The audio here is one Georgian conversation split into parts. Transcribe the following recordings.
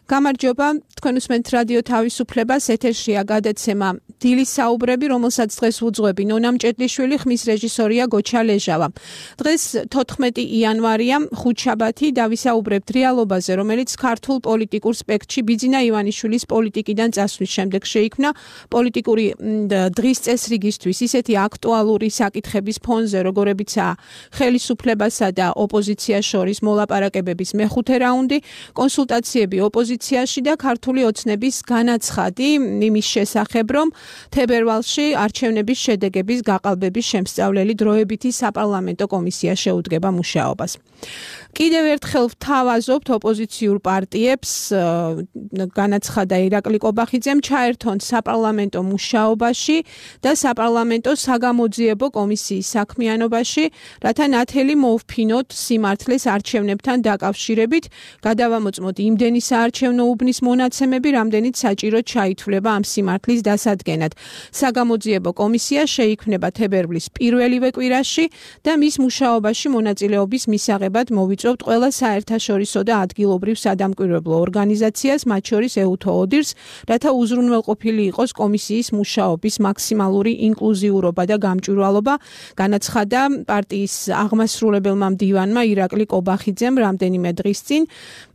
გამარჯობა, თქვენ უსმენთ რადიო თავისუფლებას, ეთერშია გადაცემა დილის საუბრები, რომელსაც დღეს უძღვები ნონა მჭედლიშვილი, ხმის რეჟისორია გოჩა ლეჟავა. დღეს 14 იანვარია, ხუთშაბათი, დავისაუბრებთ რეალობაზე, რომელიც ქართულ პოლიტიკურ სპექტრში ბიძინა ივანიშვილის პოლიტიკიდან წასვლის შემდეგ შეიქმნა პოლიტიკური დღის წესრიგისთვის ისეთი აქტუალური საკითხების ფონზე, როგორებიცაა ხელისუფლებასა და ოპოზიციას შორის მოლაპარაკებების მეხუთე რაუნდი, კონსულტაციები ოპოზიციაში და ქართული ოცნების განაცხადი იმის შესახებ, რომ თებერვალში არჩევნების შედეგების გაყალბების შემსწავლელი დროებითი საპარლამენტო კომისია შეუდგება მუშაობას. კიდევ ერთხელ ვთავაზობთ ოპოზიციურ პარტიებს, განაცხადა ირაკლი კობახიძემ, ჩაერთონ საპარლამენტო მუშაობაში და საპარლამენტო საგამოძიებო კომისიის საქმიანობაში, რათა ნათელი მოუφფინოთ სიმართლეს არჩევნებთან დაკავშირებით, გადავამოწმოთ იმდენი საარჩევნო უბნის მონაცემები, რამდენიც საჭირო ჩაითვლება ამ სიმართლის დასადგენად. საგამოძიებო კომისია შეიქმნება თებერვლის პირველივე კვირაში და მის მუშაობაში მონაწილეობის მისაღებად მოვიწვევთ ყველა საერთაშორისო და ადგილობრივ სადამკვირვებლო ორგანიზაციას, მათ შორის EUTO ODIHR-ს, რათა უზრუნველყოფილი იყოს კომისიის მუშაობის მაქსიმალური ინკლუზიურობა და გამჭვირვალობა, განაცხადა პარტიის აღმასრულებელმა მდივანმა ირაკლი კობახიძემ რამდენიმე დღის წინ.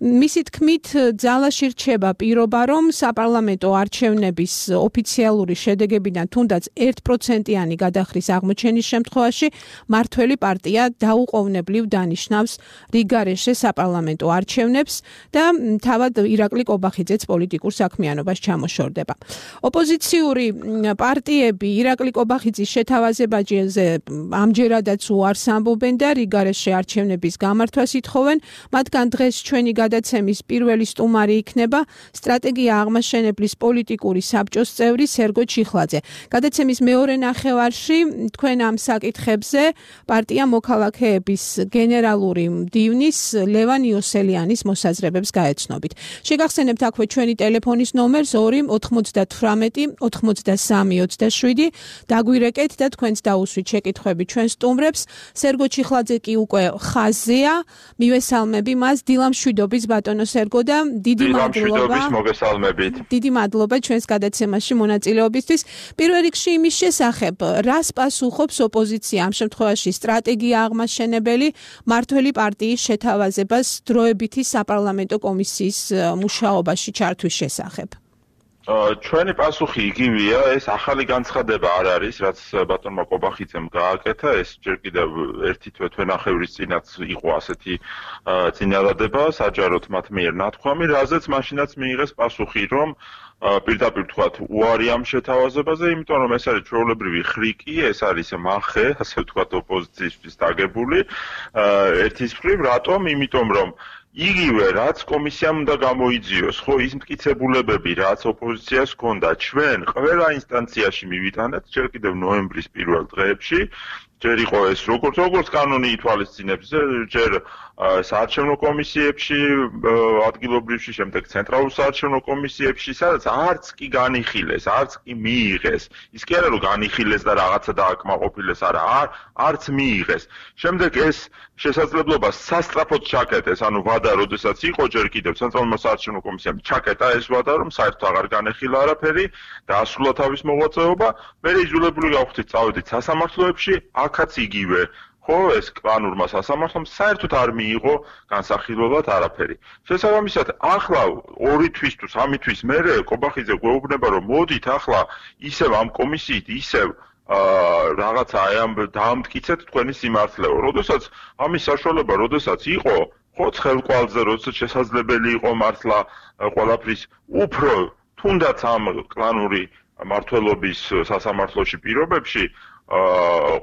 მისი თქმით, ძალაში რჩება პირობა, რომ საპარლამენტო არჩევნების ოფიციალური შედეგებიდან თუნდაც 1%-იანი გადახრის აღმოჩენის შემთხვევაში მართველი პარტია დაუყოვნებლივ დანიშნავს რიგგარეშე საპარლამენტო არჩევნებს და თავად ირაკლი კობახიძეც პოლიტიკურ საქმიანობას ჩამოშორდება. ოპოზიციური პარტიები ირაკლი კობახიძის შეთავაზებაზე ამჯერადაც უარს ამბობენ და რიგგარეშე არჩევნების გამართვას ითხოვენ, მათგან დღეს ჩვენი გადაცემის პირველი სტუმარი იქნება სტრატეგია აღმაშენებლის პოლიტიკური საბჭოს წევრი სერგო ჩიხლაძე. გადაცემის მეორე ნახევარში თქვენ ამ საკითხებზე პარტია მოქალაქეების გენერალური მდივნის ლევან იოსელიანის მოსაზრებებს გაეცნობით. შეგახსენებთ აქვე ჩვენი ტელეფონის ნომერს 2 98 83 27. დაგვირეკეთ და თქვენც დაუსვით შეკითხვები ჩვენ სტუმრებს. სერგო ჩიხლაძე კი უკვე ხაზია, მივესალმები მას, დილამშვიდობის ბატონო სერგო და დიდი მადლობა. დიდი მადლობა ჩვენს გადაცემაში მონაწილეობისთვის. პირველ რიგში იმის შესახებ, რას პასუხობს ოპოზიცია ამ შემთხვევაში სტრატეგია აღმაშენებელი მართველი პარტიის შეთავაზებას დროებითი საპარლამენტო კომისიის მუშაობაში ჩართვის შესახებ? ჩვენი პასუხი იგივეა, ეს ახალი განცხადება არ არის, რაც ბატონმა კობახიძემ გააკეთა, ეს ჯერ კიდევ ერთი თვენახევრის წინაც იყო ასეთი წინადადება, საჯაროდ მათ მიერ ნათქვამი, რაზეც მაშინაც მიიღეს პასუხი, რომ პირდაპირ თქვათ უარი ამ შეთავაზებაზე, იმიტომ რომ ეს არის ჩვეულებრივი ხრიკი, ეს არის მახე, ასე ვთქვათ ოპოზიციისთვის დაგებული, ერთის მხრივ, რატომ? იმიტომ რომ იგივე რაც კომისიამ უნდა გამოიძიოს, ხო, ის მტკიცებულებები, რაც ოპოზიციას ჰქონდა, ჩვენ ყველა ინსტანციაში მივიტანეთ, ჯერ კიდევ ნოემბრის პირველ დღეებში, ჯერ იყო ეს როგორც კანონი ითვალისწინებს, ჯერ საარჩევნო კომისიებში, ადგილობრივში, შემდეგ ცენტრალურ საარჩევნო კომისიებში, სადაც არც კი განიხილეს, არც კი მიიღეს. ის კი არა რომ განიხილეს და რაღაცა დააკმაყოფილეს, არა, არც მიიღეს. შემდეგ ეს შესაძლებლობა სასწრაფოდ ჩაკეტეს, ანუ ვადა, როდესაც იყო ჯერ კიდევ ცენტრალურმა საარჩევნო კომისიამ ჩაკეტა ეს ვადა, რომ საერთოდ აღარ განეხილა არაფერი, დაასრულა თავის მოღვაწეობა, მე იძულებული გავხდით წავედით სასამართლოებში, აქაც იგივე. ხო, ეს კლანურმა სასამართლომ საერთოდ არ მიიღო განსახილველად არაფერი. შესაბამისად, ახლა 2 თვის თუ 3 თვის მერე კობახიძე გვეუბნება, რომ მოდით ახლა ისევ ამ კომისიით, ისევ რაღაცა აი ამ დაამტკიცეთ თქვენი სიმართლეო. როდესაც ამის საშუალება, როდესაც იყო, ხო, ცხელკვალზე, როდესაც შესაძლებელი იყო მართლა ყველაფრის უფრო თუნდაც ამ კლანური მართლობის სასამართლოში პირობებში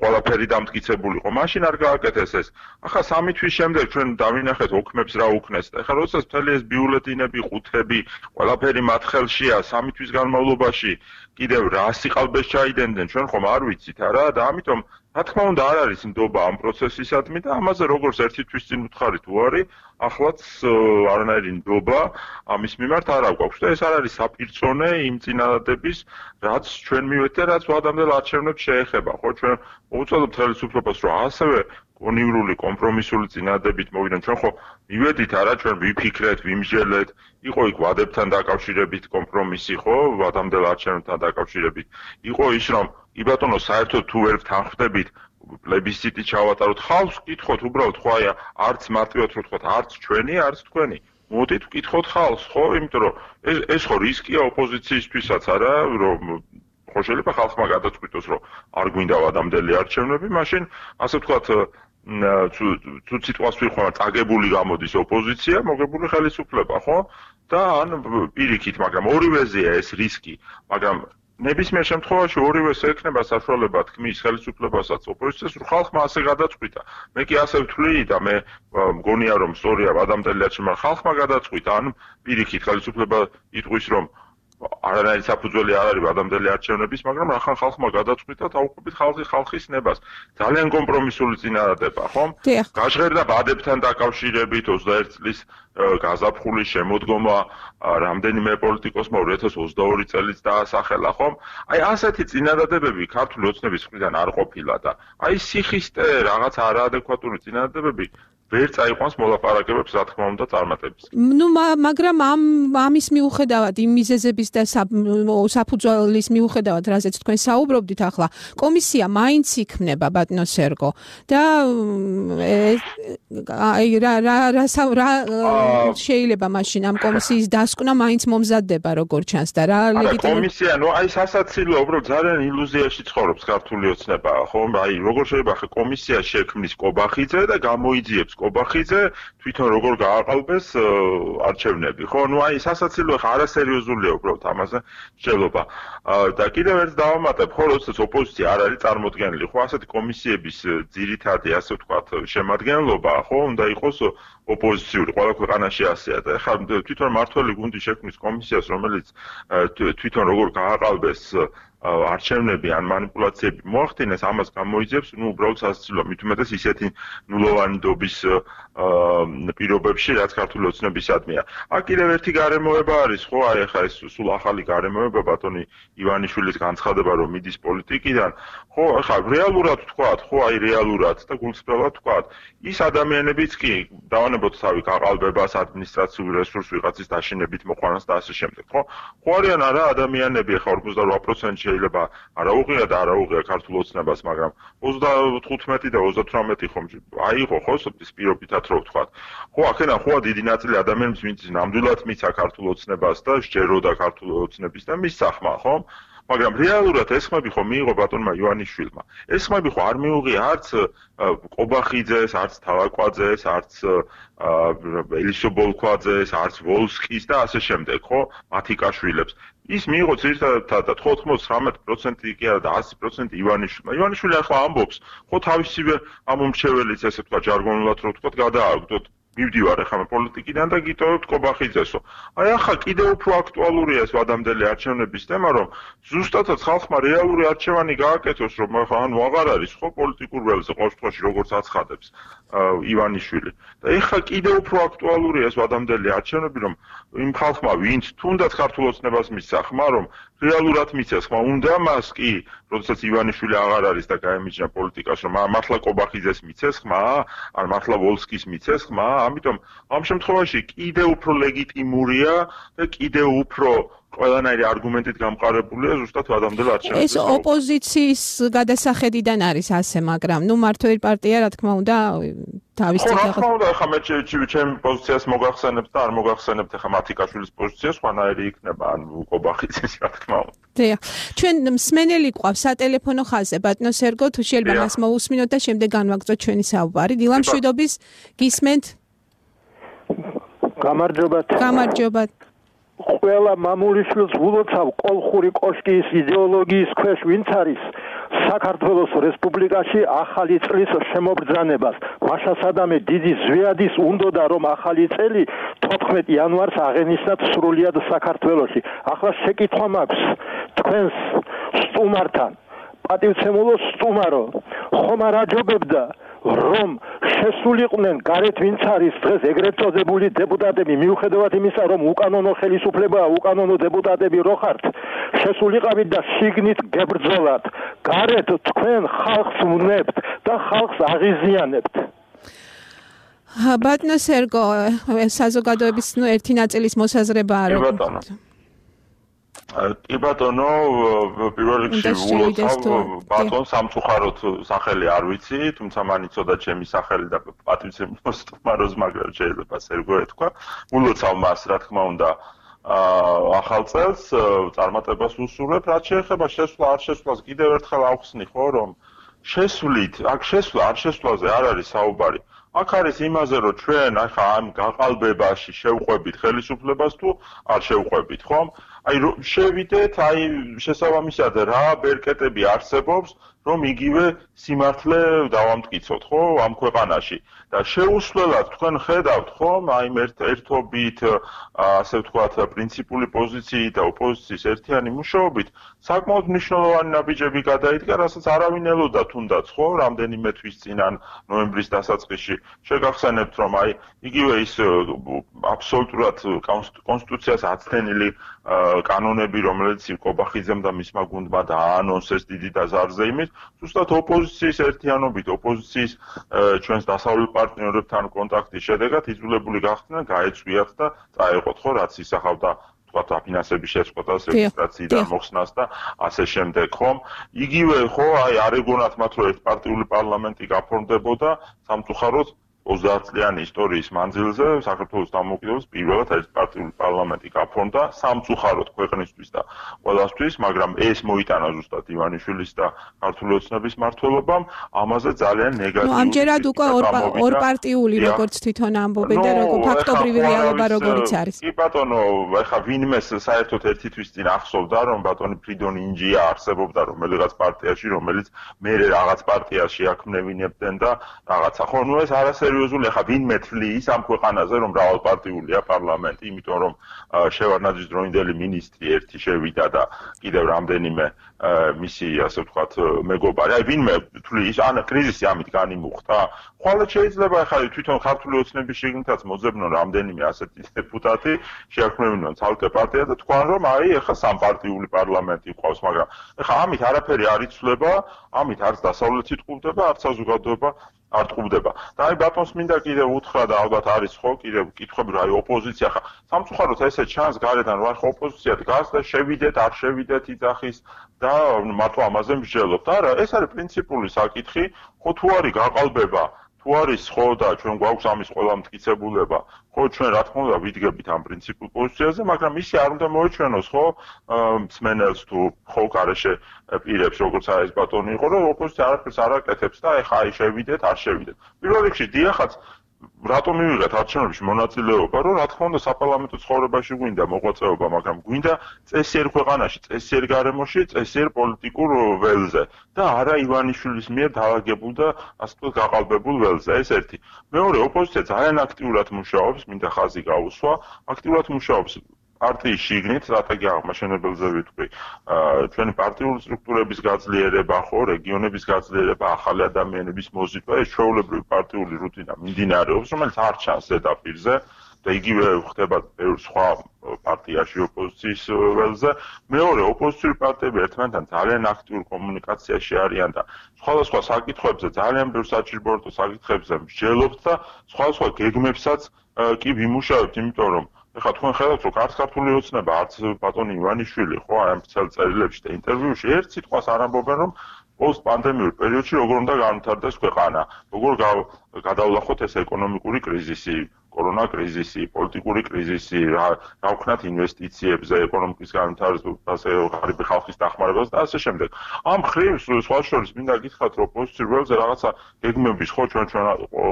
ყველაფერი დამტკიცებულიყო. მაშინ არ გააკეთეს ეს. ახლა 3 თვის შემდეგ ჩვენ დავინახეთ ოქმებს რა უქნეს. ახლა როდესაც მთელი ეს ბიულეტინები, ყუთები, ყველაფერი მათ ხელშია 3 თვის განმავლობაში კიდევ რა სიყალბეს ჩაიდენდნენ, ჩვენ ხომ არ ვიცით არა და ამიტომ რა თქმა უნდა არ არის ნდობა ამ პროცესისადმი და ამაზე როგორც ერთი თვის წინ უთხარით უარი, ახლაც არანაირი ნდობა ამის მიმართ არ აქვს და ეს არ არის საპირწონე იმ წინადადების, რაც ჩვენ მივედით და რაც ვადამდელ არჩევნებს შეეხება, ხო, ჩვენ მოვუწოდოთ ხელისუფლებას, რომ ასევე კონივრული კომპრომისული წინადადებით მოვიდეთ, ჩვენ ხო მივედით არა, ჩვენ ვიფიქრეთ, ვიმსჯელეთ, იყო იქ ვადებთან დაკავშირებით კომპრომისი, ხო, ვადამდელ არჩევნებთან დაკავშირებით. იყო ის, რომ კი ბატონო, საერთოდ თუ ვერ თანხმდებით პლებისციტი ჩავატაროთ, ხალხს ვკითხოთ, უბრალოდ ხო აი არც მარტივად რო თქვათ, არც ჩვენი, არც თქვენი. მოდით ვკითხოთ ხალხს, ხო, იმიტომ რომ ეს ხო რისკია ოპოზიციისთვისაც, არა, რომ ხო შეიძლება ხალხმა გადაწყვიტოს, რომ არ გვინდა ვადამდელი არჩევნები, მაშინ ასე ვთქვათ თუ სიტყვას ვიხმართ, წაგებული გამოდის ოპოზიცია, მოგებული ხელისუფლება, ხო? და ან პირიქით, მაგრამ ორივეზეა ეს რისკი, მაგრამ ნებისმიერ შემთხვევაში ორივეს ექნება საშუალება თქმის ხელისუფლებასაც ოპოზიციას, რომ ხალხმა ასე გადაწყვიტა. მე კი ასე ვთვლი და მე მგონია, რომ სწორია ვადამდელი არჩევნები, ხალხმა გადაწყვიტა, ან პირიქით ხელისუფლება იტყვის, რომ არანაირი საფუძველი არ არის ვადამდელი არჩევნების, მაგრამ რახან ხალხმა გადაწყვიტა დაუყობით ხალხის ნებას. ძალიან კომპრომისული წინადადება, ხომ? გაჟღერდა ვადებთან დაკავშირებით 21 წლის გაზაფხულის შემოდგომა რამდენიმე პოლიტიკოსმა 2022 წელიც დაასახელა, ხომ? აი ასეთი წინადადებები ქართული ოცნების მხრიდან არ ყოფილა და აი სიხისტე რაღაც არაადეკვატური წინადადებები ვერ წაიყვანს მოლაპარაკებებს, რა თქმა უნდა, წარმატების. ნუ მაგრამ ამის მიუხედავად, იმ მიზეზების და საფუძვლის მიუხედავად, რაზეც თქვენ საუბრობდით ახლა, კომისია მაინც იქმნება, ბატონო სერგო. და რა შეიძლება მაშინ ამ კომისიის დასკვნა მაინც მომზადდება, როგორ ჩანს და რა ლეგიტიმური კომისია, ნუ აი სასაცილო, უბრალოდ ძალიან ილუზიაში ცხოვრობს ქართული ოცნება, ხო? აი როგორ შეიძლება ხე კომისია შექმნის კობახიძე და გამოიძიებს კობახიძე თვითონ როგორ გააყალბეს არჩევნები, ხო? ნუ აი სასაცილო ხა არასერიოზულია უბრალოდ ამაზე მსჯელობა. და კიდევ ერთ დავამატებ, ხო, როდესაც ოპოზიცია არ არის წარმოდგენილი, ხო, ასეთი კომისიების ძირითადი, ასე ვთქვათ, შემადგენლობა, ხო, უნდა იყოს ოპოზიციური, ყველა ქვეყანაში ასეა და ხა თვითონ მართველი გუნდი შექმნის კომისიას, რომელიც თვითონ როგორ გააყალბეს არჩევნები ან манипуляციები მოახდინეს, ამას გამოიძიებს, ნუ უბრალოდ სასაცილოა, მით უმეტეს ისეთი ნულოვანი ნდობის პირობებში, რაც ქართული ოცნებისადმია. აქ კიდევ ერთი გარემოება არის, ხო, აი ახლა ეს სულ ახალი გარემოება ბატონი ივანიშვილის განცხადება, რომ მიდის პოლიტიკიდან, ხო, ახლა რეალურად ვთქვათ, ხო, აი რეალურად და გულწრფელად ვთქვათ, ის ადამიანებიც კი დავანებოთ თავი გაყალბებას, ადმინისტრაციულ რესურს ვიღაცის დაშინებით მოყვანას და ასე შემდეგ, ხო? ხო არიან არა ადამიანები, ახლა 48% შეიძლება არა უღია და არა უღია ქართულ ოცნებას, მაგრამ 35 და 38 ხომ აიღო ხო ის პირობითად რო ვთქვათ. ხო, აქედან ხოა დიდი ნაწილი ადამიანებს, ვინც ნამდვილად მიცა ქართულ ოცნებას და სჯეროდა ქართულ ოცნების და მის სახმა, ხო? მაგრამ რეალურად ეს ხმები ხო მიიღო ბატონმა ივანიშვილმა. ეს ხმები ხო არ მიუღია არც კობახიძეს, არც თალაკვაძეს, არც ელისობოლქვაძეს, არც ვოლსკის და ასე შემდეგ, ხო? მათიკაშვილებს. ის მიიღო ძირითადად 99% კი არა და 100% ივანიშვილმა. ივანიშვილი ახლა ამბობს, ხო თავისივე ამომრჩეველიც, ესე ვთქვათ, ჟარგონულად რო ვთქვათ, გადააგდოთ. მივდივარ ახლა პოლიტიკიდან და გიტოვებთ კობახიძესო. აი ახლა კიდევ უფრო აქტუალურია ეს ვადამდელი არჩევნების თემა, რომ ზუსტადაც ხალხმა რეალური არჩევანი გააკეთოს, რომ ახლა ანუ აღარ არის ხო პოლიტიკურ ველზე ყოველ შემთხვევაში როგორც აცხადებს ივანიშვილი. და ახლა კიდევ უფრო აქტუალურია ეს ვადამდელი არჩევნები, რომ იმ ხალხმა, ვინც თუნდაც ქართულ ოცნებას მისცა ხმა, რომ რეალურად მიცეს ხმა, უნდა მას კი, როდესაც ივანიშვილი აღარ არის და გაემიჯნა პოლიტიკას, რომ მართლა კობახიძეს მიცეს ხმა, ან მართლა ვოლსკის მიცეს ხმა, ამიტომ ამ შემთხვევაში კიდევ უფრო ლეგიტიმურია და კიდევ უფრო ყველანაირი არგუმენტით გამყარებულია ზუსტად ვადამდელ არჩევნებში. ეს ოპოზიციის გადასახედიდან არის ასე, მაგრამ ნუ მართველი პარტია, რა თქმა უნდა, თავის ხო, რა თქმა უნდა, ახლა მე ჩემ პოზიციას მოგახსენებთ და არ მოგახსენებთ ახლა მათიკაშვილის პოზიცია სხვანაირი იქნება, ან კობახიძის, რა თქმა უნდა. დიახ. ჩვენ მსმენელი გვყავს სატელეფონო ხაზზე, ბატონო სერგო, თუ შეიძლება მას მოусმინოთ და შემდეგ განვაგრძოთ ჩვენი საუბარი. დილამშვიდობის გისმენთ? გამარჯობათ. გამარჯობათ. ყველა მამულიშვილს ვულოცავ კოლხური კოშკის იდეოლოგიის ქვეშ ვინც არის საქართველოს რესპუბლიკაში ახალი წლის შემობრძანებას. მაშა სადამე დიდი ზვიადის უნდოდა რომ ახალი წელი 14 იანვარს აღენიშნათ სრულიად საქართველოში. ახლა შეკითხვა მაქვს თქვენს სტუმართან. პატივცემულო სტუმარო, ხომ არ აჯობებდა რომ შესულიყვნენ გარეთ ვინც არის დღეს ეგრეთ წოდებული დეპუტატები მიუხედავად იმისა რომ უკანონო ხელისუფლებაა უკანონო დეპუტატები რო ხართ შესულიყავით და შიგნით გებრძოლათ გარეთ თქვენ ხალხს უნებთ და ხალხს აღიზიანებთ ბატონო სერგო საზოგადოების ერთი ნაწილის მოსაზრებაა რომ კი ბატონო პირველ რიგში ვულოცავ ბატონ სამწუხაროდ სახელი არ ვიცი თუმცა მან იცოდა ჩემი სახელი და პატივცემულოს თმაროს მაგრამ შეიძლება სერგო ეთქვა ვულოცავ მას რა თქმა უნდა ახალ წელს წარმატებას ვუსურვებ რაც შეეხება შესვლა არ შესვლას კიდევ ერთხელ ავხსნი ხო რომ შესვლით აქ შესვლა არ შესვლაზე არ არის საუბარი აქ არის იმაზე რომ ჩვენ ახლა ამ გაყალბებაში შევყვებით ხელისუფლებას თუ არ შევყვებით ხომ აი შევიდეთ აი შესაბამისად რა ბერკეტები არსებობს რომ იგივე სიმართლე დავამტკიცოთ ხო ამ ქვეყანაში და შეუსვლელად თქვენ ხედავთ ხომ აი ერთობით ასე ვთქვათ პრინციპული პოზიციით და ოპოზიციის ერთიანი მუშაობით საკმაოდ მნიშვნელოვანი ნაბიჯები გადაიდგა რასაც არავინ ელოდა თუნდაც ხო რამდენიმე თვის წინ ან ნოემბრის დასაწყისში შეგახსენებთ რომ აი იგივე ის აბსოლუტურად კონსტიტუციას აცდენილი კანონები რომელიც კობახიძემ და მისმა გუნდმა დააანონსეს დიდი დაზარზე იმით ზუსტად ოპოზიციის ერთიანობით ოპოზიციის ჩვენს დასავლელ პარტნიორებთან კონტაქტის შედეგად იძულებული გახდნენ გაეწვიათ და წაეყოთ ხო რაც ისახავდა თქვა დაფინანსების შეწყვეტას რეგისტრაციიდან მოხსნას და ასე შემდეგ ხომ იგივე ხო აი არ ეგონათ მათ რომ ერთპარტიული პარლამენტი გაფორმდებოდა სამწუხაროდ 30 წლიანი ისტორიის მანძილზე საქართველოს დამოუკიდებლობის პირველად ერთპარტიული პარლამენტი გაფორმდა სამწუხაროდ ქვეყნისთვის და ყველასთვის, მაგრამ ეს მოიტანა ზუსტად ივანიშვილის და ქართული ოცნების მმართველობამ, ამაზე ძალიან ნეგატიური. ამჯერად უკვე ორპარტიული როგორც თვითონ ამბობენ და როგორ ფაქტობრივი რეალობა როგორიც არის. კი ბატონო, ეხა ვინმეს საერთოდ ერთი თვის წინ ახსოვდა, რომ ბატონი ფრიდონ ინჯია არსებობდა რომელიღაც პარტიაში, რომელიც მერე რაღაც პარტიაში აქმნევინებდნენ და რაღაცა. ხო, ნუ ეს არასერიოზული ახლა ვინმე თვლის ამ ქვეყანაზე რომ მრავალპარტიულია პარლამენტი, იმიტომ რომ შევარდნაძის დროინდელი მინისტრი ერთი შევიდა და კიდევ რამდენიმე მისი ასე ვთქვათ მეგობარი. აი ვინმე თვლის ან კრიზისი ამით განიმუხტა. ხვალე შეიძლება ახლა თვითონ ქართული ოცნების შიგნითაც მოძებნონ რამდენიმე ასეთი დეპუტატი, შეაქმნევინონ ცალკე პარტია და თქვან რომ აი ახლა სამპარტიული პარლამენტი ყავს, მაგრამ ახლა ამით არაფერი არ იცვლება, ამით არც დასავლეთი ტყუდება, არც საზოგადოება არ ტყუდება. და აი ბატონს მინდა კიდევ უთხრა და ალბათ არის ხო კიდევ კითხვები რა ოპოზიცია ხა სამწუხაროდ ესე ჩანს გარედან რა ხო ოპოზიცია დგას და შევიდეთ არ შევიდეთ იძახის და მარტო ამაზე მსჯელობთ. არა, ეს არის პრინციპული საკითხი, ხო თუ არის გაყალბება თუ არის ხო და ჩვენ გვაქვს ამის ყველა მტკიცებულება, ხო ჩვენ რა თქმა უნდა ვიდგებით ამ პრინციპულ პოზიციაზე, მაგრამ ისი არ უნდა მოეჩვენოს ხო მსმენელს თუ ხო გარეშე პირებს როგორც არის ბატონი იყო, რომ ოპოზიცია არაფერს არ აკეთებს და ეხა აი შევიდეთ, არ შევიდეთ. პირველ რიგში დიახაც რატომ მივიღეთ არჩევნებში მონაწილეობა, რომ რა თქმა უნდა საპარლამენტო ცხოვრებაში გვინდა მოღვაწეობა, მაგრამ გვინდა წესიერ ქვეყანაში, წესიერ გარემოში, წესიერ პოლიტიკურ ველზე და არა ივანიშვილის მიერ დაალაგებულ და ასე ვთქვათ გაყალბებულ ველზე. ეს ერთი. მეორე, ოპოზიცია ძალიან აქტიურად მუშაობს, მინდა ხაზი გაუსვა, აქტიურად მუშაობს პარტიის შიგნით სტრატეგია აღმაშენებელზე ვიტყვი ჩვენი პარტიული სტრუქტურების გაძლიერება ხო რეგიონების გაძლიერება ახალი ადამიანების მოზიდვა ეს ჩვეულებრივი პარტიული რუტინა მიმდინარეობს რომელიც არ ჩანს ზედაპირზე და იგივე ხდება სხვა პარტიაში ოპოზიციის ველზე მეორე ოპოზიციური პარტიები ერთმანეთთან ძალიან აქტიურ კომუნიკაციაში არიან და სხვადასხვა საკითხებზე ძალიან ბევრ საჭიროებო საკითხებზე მსჯელობთ და სხვადასხვა გეგმებსაც კი ვიმუშავებთ იმიტომ რომ ეხლა თქვენ ხედავთ რომ ქართული ოცნება არც ბატონი ივანიშვილი ხო აი ამ წერილებში და ინტერვიუში ერთ სიტყვას არ ამბობენ რომ პოსტპანდემიურ პერიოდში როგორ უნდა განვითარდეს ქვეყანა როგორ გადავლახოთ ეს ეკონომიკური კრიზისი კორონა კრიზისი პოლიტიკური კრიზისი რა ვქნათ ინვესტიციებზე ეკონომიკის განვითარებაზე ღარიბი ხალხის დახმარებას და ასე შემდეგ ამ ხრივ სხვა შორის მინდა გითხრათ რომ პოზიციურ ველზე რაღაცა გეგმების ხო ჩვენ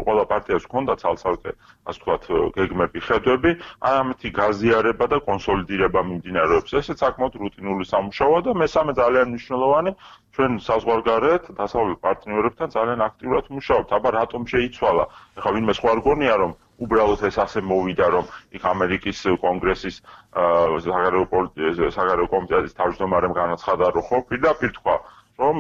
ყველა პარტიას ჰქონდა ცალ-ცალკე ასე ვთქვათ გეგმები ხედვები ამათი გაზიარება და კონსოლიდირება მიმდინარეობს ესეც საკმაოდ რუტინული სამუშაოა და მესამე ძალიან მნიშვნელოვანი ჩვენ საზღვარგარეთ დასავლელ პარტნიორებთან ძალიან აქტიურად მუშაობთ აბა რატომ შეიცვალა ეხლა ვინმე სხვა არ გონია რომ უბრალოდ ეს ასე მოვიდა რომ იქ ამერიკის კონგრესის საგარეო კომიტეტის თავმჯდომარემ განაცხადა რომ ხო პირდაპირ თქვა რომ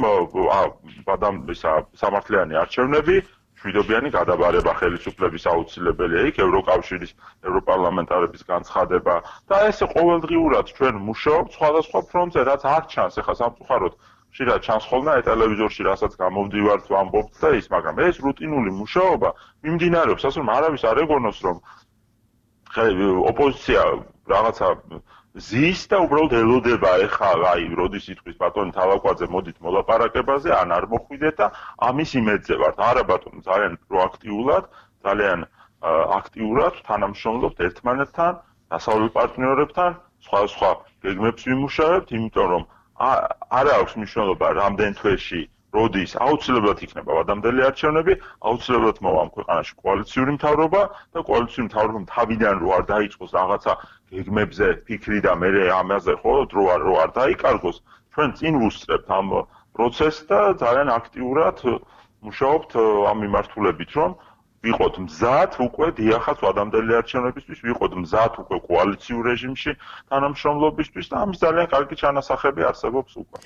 სამართლიანი არჩევნები მშვიდობიანი გადაბარება ხელისუფლების აუცილებელია იქ ევროკავშირის ევროპარლამენტარების განცხადება და ესე ყოველდღიურად ჩვენ მუშაობთ სხვადასხვა ფრონტზე რაც არ ჩანს ეხლა სამწუხაროდ ხშირად ჩანს ხოლმე ტელევიზორში რასაც გამოვდივართ ვამბობთ და ის მაგრამ ეს რუტინული მუშაობა მიმდინარეობს ასე რომ არავის არ ეგონოს რომ ოპოზიცია რაღაცა ზის და უბრალოდ ელოდება ეხლა აი როდის იტყვის ბატონი თავაკვაძე მოდით მოლაპარაკებაზე ან არ მოხვიდეთ და ამის იმედზე ვართ არა ბატონო ძალიან პროაქტიულად ძალიან აქტიურად თანამშრომლობთ ერთმანეთთან დასავლელ პარტნიორებთან სხვა გეგმებს ვიმუშავებთ იმიტომ რომ არ აქვს მნიშვნელობა რამდენ თვეში როდის აუცილებლად იქნება ვადამდელი არჩევნები აუცილებლად მოვა ამ ქვეყანაში კოალიციური მთავრობა და კოალიციური მთავრობამ თავიდან რო არ დაიწყოს რაღაცა გეგმებზე ფიქრი და მე ამაზე ხო დრო არ დაიკარგოს ჩვენ წინ ვუსწრებთ ამ პროცესს და ძალიან აქტიურად მუშაობთ ამ მიმართულებით რომ ვიყოთ მზად უკვე დიახაც ვადამდელი არჩევნებისთვის ვიყოთ მზად უკვე კოალიციურ რეჟიმში თანამშრომლობისთვის და ამის ძალიან კარგი ჩანასახები არსებობს უკვე.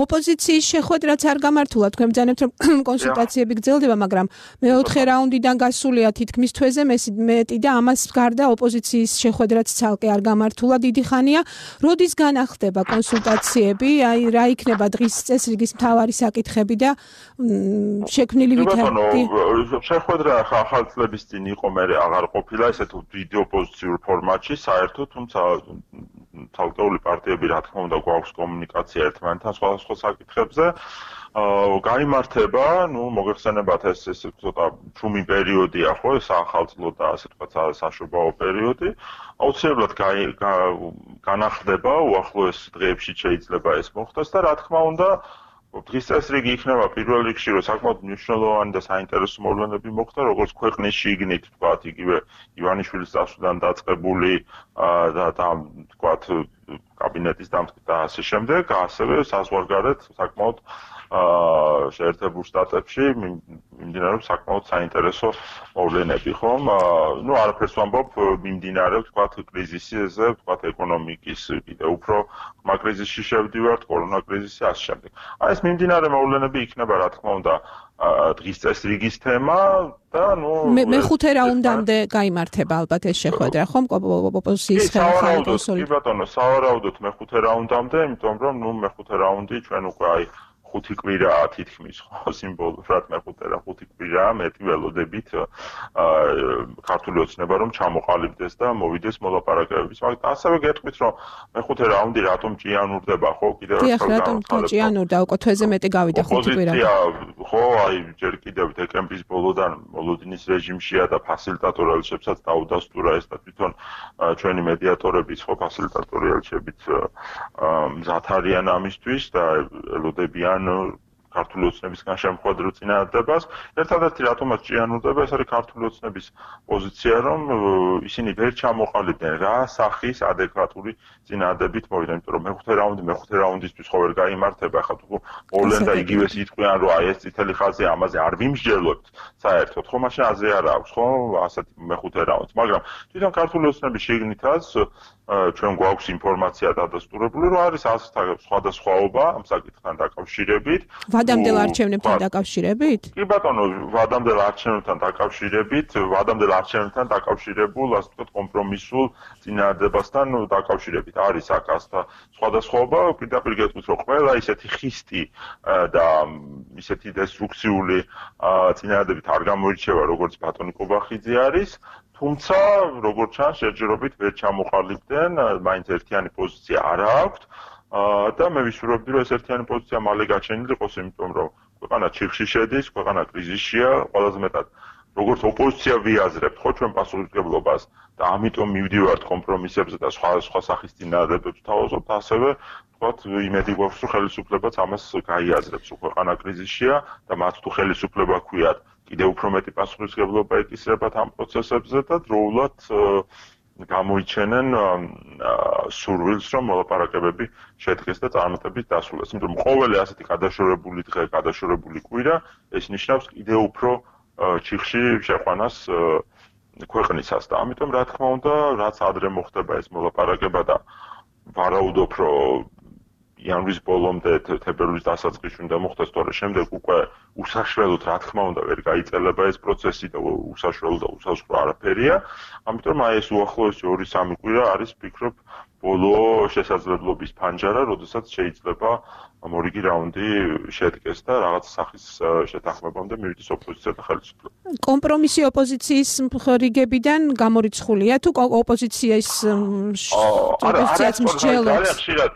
ოპოზიციის შეხვედრაც არ გამართულა თქვენ ბრძანებთ რომ კონსულტაციები გრძელდება მაგრამ მეოთხე რაუნდიდან გასულია თითქმის თვეზე მეტი და ამას გარდა ოპოზიციის შეხვედრაც ცალკე არ გამართულა დიდი ხანია. როდის განახდება კონსულტაციები? აი რა იქნება დღის წესრიგის მთავარი საკითხები და შექმნილი ვითარდება? შეხვედრა ახალ წლების წინ იყო მე აღარ ყოფილა ესეთ ვიდეო პოზიციურ ფორმატში საერთოდ თუმცა თალკეული პარტიები რა თქმა უნდა გვაქვს კომუნიკაცია ერთმანეთთან სხვადასხვა საკითხებზე გაიმართება ნუ მოგეხსენებათ ეს ცოტა ჩუმი პერიოდია ხო ეს ახალწლო და ასე თქვა საშობაო პერიოდი აუცილებლად განახდება უახლოეს დღეებში შეიძლება ეს მოხდეს და რა თქმა უნდა დღის წესრიგი იქნება პირველ რიგში რომ საკმაოდ მნიშვნელოვანი და საინტერესო მოვლენები მოხდა როგორც ქვეყნის შიგნით თქვათ იგივე ივანიშვილის წასვლიდან დაწყებული და თქვათ კაბინეტის დამტკიცება და ასე შემდეგ ასევე საზღვარგარეთ საკმაოდ შეერთებულ შტატებში მიმდინარეობს საკმაოდ საინტერესო მოვლენები ხომ ნუ არაფერს ვამბობ მიმდინარეობს თქვათ კრიზისზე თქვათ ეკონომიკის კიდევ უფრო ხმა კრიზისში შევდივართ კორონა კრიზისი ასე შემდეგ აი ეს მიმდინარე მოვლენები იქნება რა თქმა უნდა დღის წესრიგის თემა და ნუ მეხუთე რაუნდამდე გაიმართება ალბათ ეს შეხვედრა ხომ ოპოზიციის ხელმძღვანელი კონსოლი კი ბატონო სავარაუდოდ მეხუთე რაუნდამდე იმიტომ რომ ნუ მეხუთე რაუნდი ჩვენ უკვე აი 5 კვირაა თითქმის ხო სიმბოლურად მეხუთე რა 5 კვირაა მეტი ველოდებით ქართული ოცნება რომ ჩამოყალიბდეს და მოვიდეს მოლაპარაკებების მაგრამ ასევე გეტყვით რომ მეხუთე რაუნდი რატომ ჭიანურდება ხო კიდევ რატომ ჭიანურდა უკვე თვეზე მეტი გავიდა 5 კვირა ხო აი ჯერ კიდევ დეკემბრის ბოლოდან მოლოდინის რეჟიმშია და ფასილიტატორ ელჩებსაც დაუდასტურა ეს და თვითონ ჩვენი მედიატორებიც ხო ფასილიტატორი ელჩებით მზად არიან ამისთვის და ელოდებიან ქართული ოცნებისგან შემოხვედრილ წინადადებას. ერთადერთი რატომაც ჭიანურდება ეს არის ქართული ოცნების პოზიცია რომ ისინი ვერ ჩამოყალიბდნენ რა სახის ადეკვატური წინადადებით მოვიდნენ იმიტომ რომ მეხუთე რაუნდისთვის ხო ვერ გაიმართება ხა თუ მოვლენ და იგივეს იტყვიან რომ აი ეს წითელი ხაზი ამაზე არ ვიმსჯელოთ საერთოდ ხო მაშინ აზრი არ აქვს ხო ასეთი მეხუთე რაუნდს მაგრამ თვითონ ქართული ოცნების შიგნითაც ჩვენ გვაქვს ინფორმაცია დადასტურებული რომ არის სხვადასხვაობა ამ საკითხთან დაკავშირებით ვადამდელ არჩევნებთან დაკავშირებით? კი ბატონო, ვადამდელ არჩევნებთან დაკავშირებულ, ასე ვთქვათ, კომპრომისულ წინადადებასთან დაკავშირებით არის აქ ასთა სხვადასხვაობა, პირდაპირ გეტყვით, რომ ყველა ისეთი ხისტი და ისეთი დესტრუქციული წინადადებით არ გამოირჩევა, როგორც ბატონი კობახიძე არის, თუმცა, როგორც ჩანს, შეჯერობით ვერ ჩამოყალიბდნენ, მაინც ერთიანი პოზიცია არ აქვთ. და მე ვისურვებდი რომ ეს ერთიანი პოზიცია მალე გაჩენილიყოს იმიტომ რომ ქვეყანა ჩიხში შედის, ქვეყანა კრიზისშია, ყველაზე მეტად როგორც ოპოზიცია ვიაზრებთ ხო ჩვენ პასუხისმგებლობას და ამიტომ მივდივართ კომპრომისებზე და სხვა სახის წინადადებებს თავაზობთ, ასევე ვთქვათ იმედი გვაქვს რომ ხელისუფლებაც ამას გაიაზრებს, ქვეყანა კრიზისშია და მათ თუ ხელისუფლება ჰქვიათ, კიდევ უფრო მეტი პასუხისმგებლობა ეკისრებათ ამ პროცესებზე და დროულად გამოიჩენენ სურვილს რომ მოლაპარაკებები შედგეს და წარმატებით დასრულდეს. იმიტომ რომ ყოველი ასეთი გადაშორებული დღე, გადაშორებული კვირა ეს ნიშნავს კიდევ უფრო ჩიხში შეყვანას ქვეყნისას და ამიტომ რა თქმა უნდა, რაც ადრე მოხდება ეს მოლაპარაკება და ვარაუდობ რომ იანვრის ბოლომდე თებერვლის დასაწყისში უნდა მოხდეს, თორე შემდეგ უკვე უსაშველოდ რა თქმა უნდა ვერ გაიწელება ეს პროცესი და უსაშველო და უსასრულო არაფერია. ამიტომ აი ეს უახლოესი 2-3 კვირა არის ვფიქრობ ბოლო შესაძლებლობის ფანჯარა, როდესაც შეიძლება მორიგი რაუნდი შედგეს და რაღაც სახის შეთანხმებამდე მივიდეს ოპოზიცია და ხელისუფლება. კომპრომისი ოპოზიციის რიგებიდან გამორიცხულია თუ ოპოზიციის ოპოზიციაც მსჯელობს? ძალიან ხშირად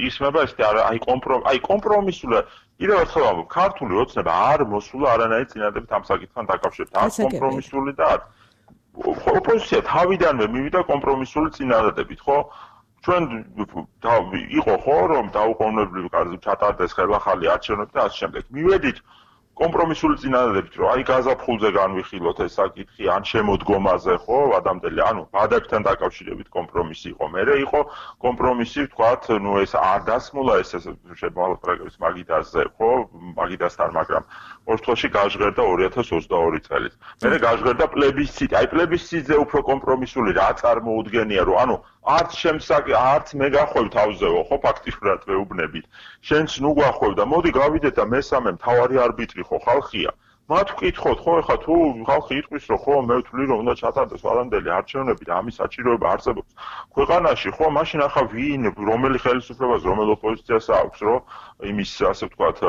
ისმება ეს აი კომპრომისული კიდევ ერთხელ ვამბობ, ქართული ოცნება არ მოსულა არანაირი წინადადებით ამ საკითხთან დაკავშირებით. არ კომპრომისული და ოპოზიცია თავიდანვე მივიდა კომპრომისული წინადადებით, ხო? ჩვენ იყო ხო რომ დაუყოვნებლივ ჩატარდეს ხელახალი არჩევნები და ასე შემდეგ. მივედით კომპრომისული წინადადებით, რომ აი გაზაფხულზე განვიხილოთ ეს საკითხი, ან შემოდგომაზე, ხო, ადამიანები, ანუ ბადაკთან დაკავშირებით კომპრომისი იყო. მერე იყო კომპრომისი, ვთქვათ, ეს არ დასმულა ეს შემოალაპარაკების მაგიდაზე, ხო, მაგიდასთან, მაგრამ ორთხოვში გაჟღერდა 2022 წელს. მერე გაჟღერდა პლებისციტი. აი პლებისციტზე უფრო კომპრომისული რა წარმოუდგენია, რომ ანუ არც მე გახვევ თავზეო, ხო, ფაქტიურად ვეუბნებით. შენც ნუ გახვევ და მოდი გავიდეთ და მესამე მთავარი არბიტრი ხო ხალხია. მათ ვკითხოთ, ხო, ეხლა თუ ხალხი იტყვის, რომ ხო, მე ვთვლი, რომ უნდა ჩატარდეს ვარამდელი არჩევნები და ამის საჭიროება არსებობს ქვეყანაში, ხო, მაშინ ახლა ვინ, რომელი ხელისუფლებას, რომელ ოპოზიციას აქვს, რომ იმის, ასე ვთქვათ,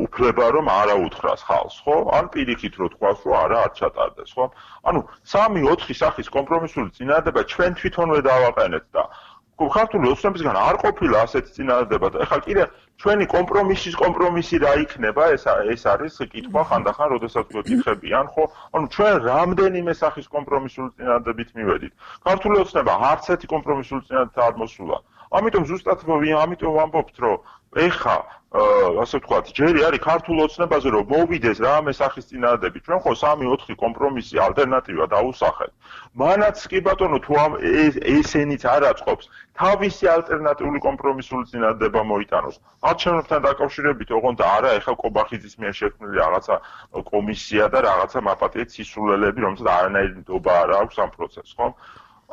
უფლება რომ არა უთხრას ხალხს, ხო? ან პირიქით რო თქვას, რომ არა არ ჩატარდეს, ხო? ანუ 3-4 სახის კომპრომისული წინადადება ჩვენ თვითონვე დავაყენეთ და ქართული ოცნებისგან არ ყოფილა ასეთი წინადადება და ეხლა კიდე ჩვენი კომპრომისი რა იქნება, ეს არის კითხვა ხანდახან, როდესაც გვეკითხებიან, ხო? ანუ ჩვენ რამდენიმე სახის კომპრომისული წინადადებით მივედით. ქართული ოცნება არც ერთი კომპრომისული წინადადება არ მოსულა. ამიტომ ზუსტად ამიტომ ვამბობთ, რომ ეხა ასე ვთქვათ, ჯერი არის ქართულ ოცნებაზე, რომ მოვიდეს რამე სახის წინადადები. ჩვენ ხო 3-4 კომპრომისი ალტერნატივა დაუსახეთ. მანაც კი ბატონო, თუ ესენიც არ აწყობს, თავისი ალტერნატიული კომპრომისული წინადადება მოიტანოს. არჩევნებთან დაკავშირებით, ოღონდ არა, ეხა კობახიძის მიერ შექმნილი რაღაცა კომისია და რაღაცა მაპატიეთ სისულელები, რომელსაც არანაირი ნდობა არ აქვს ამ პროცესს, ხო?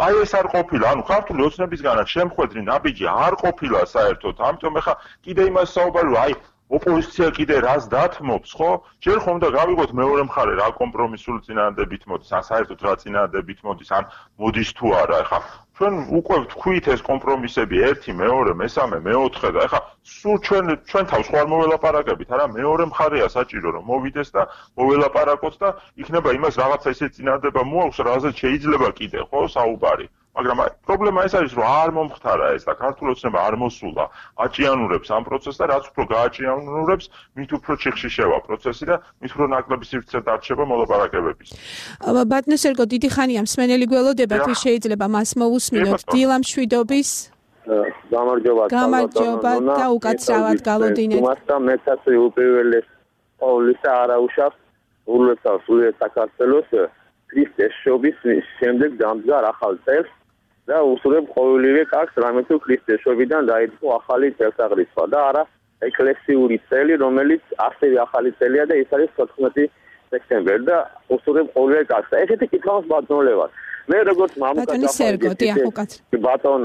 აი ეს არ ყოფილა, ანუ ქართული ოცნებისგანაც შემხვედრი ნაბიჯი არ ყოფილა საერთოდ. ამიტომ ეხა კიდე იმას საუბარი, რომ აი ოპოზიცია კიდე რას დათმობს, ხო? ჯერ ხომ და გავიგოთ მეორე მხარე რა კომპრომისული წინადადებით მოდის, ან საერთოდ რა წინადადებით მოდის, ან მოდის თუ არა. ეხა ჩვენ უკვე ვთქვით ეს კომპრომისები 1, 2, 3, 4 და ეხა სულ ჩვენ თავს ხوار მოველაპარაკებით, არა მეორე მხარეა საჭირო რომ მოვიდეს და მოველაპარაკოთ და იქნება იმას რაღაცა ისე წინადადება მოაქვს, რაზეც შეიძლება კიდე, ხო, საუბარი. მაგრამ პრობლემა ეს არის, რომ არ მომხდარა ეს და ქართული ოცნება არ მოსულა, აჭიანურებს ამ პროცესს და რაც უფრო გააჭიანურებს, მით უფრო ჩიხში შევა პროცესი და მით უფრო ნაკლები სივრცე დარჩება მოლაპარაკებების. ბატონო სერგო, დიდი ხანია მსმენელი გველოდება, თუ შეიძლება მას მოусმინოთ დილამშვიდობის. გამარჯობა და უკაცრავად გავოდინეთ. მასთან მეცაც უპირველეს ყოვლისა არაუშავს ურულესავს საქართველოს ქრისტეს შობის შემდეგ დამდგარ ახალ წელს და უსურვებ ყოველივე კაცს რამე თუ ქრისტეს შობიდან დაიწყო ახალი წელთაღრიცხვა და არა ეკლესიური წელი, რომელიც ასევე ახალი წელია და ის არის 14 სექტემბერი და უსურვებ ყოველივე კაცს. ესეთი კითხავს ბატონოლებას. მე როგორც მამუკაცი ბატონ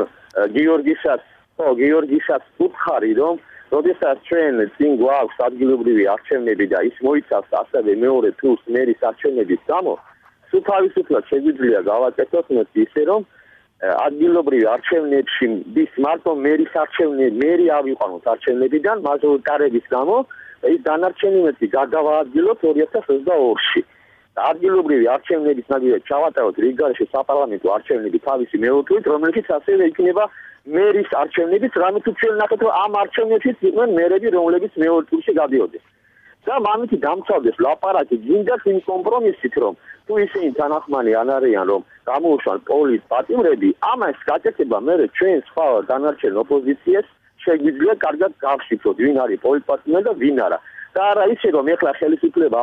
გიორგისაც ვუთხარი, რომ როდესაც ჩვენ წინ გვაქვს ადგილობრივი არჩევნები და ის მოიცავს ასევე მეორე ტურს მერის არჩევნების გამო, თუ თავისუფლად შეგვიძლია გავაკეთოთ ისე, რომ ადგილობრივი არჩევნებში დის მარტო მერის არჩევნები, მერი ავიყვანოთ არჩევნებიდან მაჟორიტარების გამო და ის დანარჩენი მეტი გადავაადგილოთ 2022-ში. ადგილობრივი არჩევნების ნაგებად ჩავატაროთ რიგგარეშე საპარლამენტო არჩევნები თავისი მეოთვლით, რომელშიც ასევე იქნება მერის არჩევნებიც, რამე თუ ჩვენ ნახეთ, რომ ამ არჩევნებშიც იყვნენ მერები, რომლებიც მეორე ტურში გადიოდნენ. და მამითი დამცავდეს ლაპარაკი გინდათ იმ კომპრომისით, რომ თუ ისინი თანახმანი არ არიან, რომ გამოუშვან პოლის პატიმრები, ამას გაკეთება მერე ჩვენ სხვა დანარჩენ ოპოზიციას შეგვიძლია კარგად გავშიფროთ, ვინ არის პოლიტპატიმრები და ვინ არა. და არა ისე, რომ ეხლა ხელისუფლება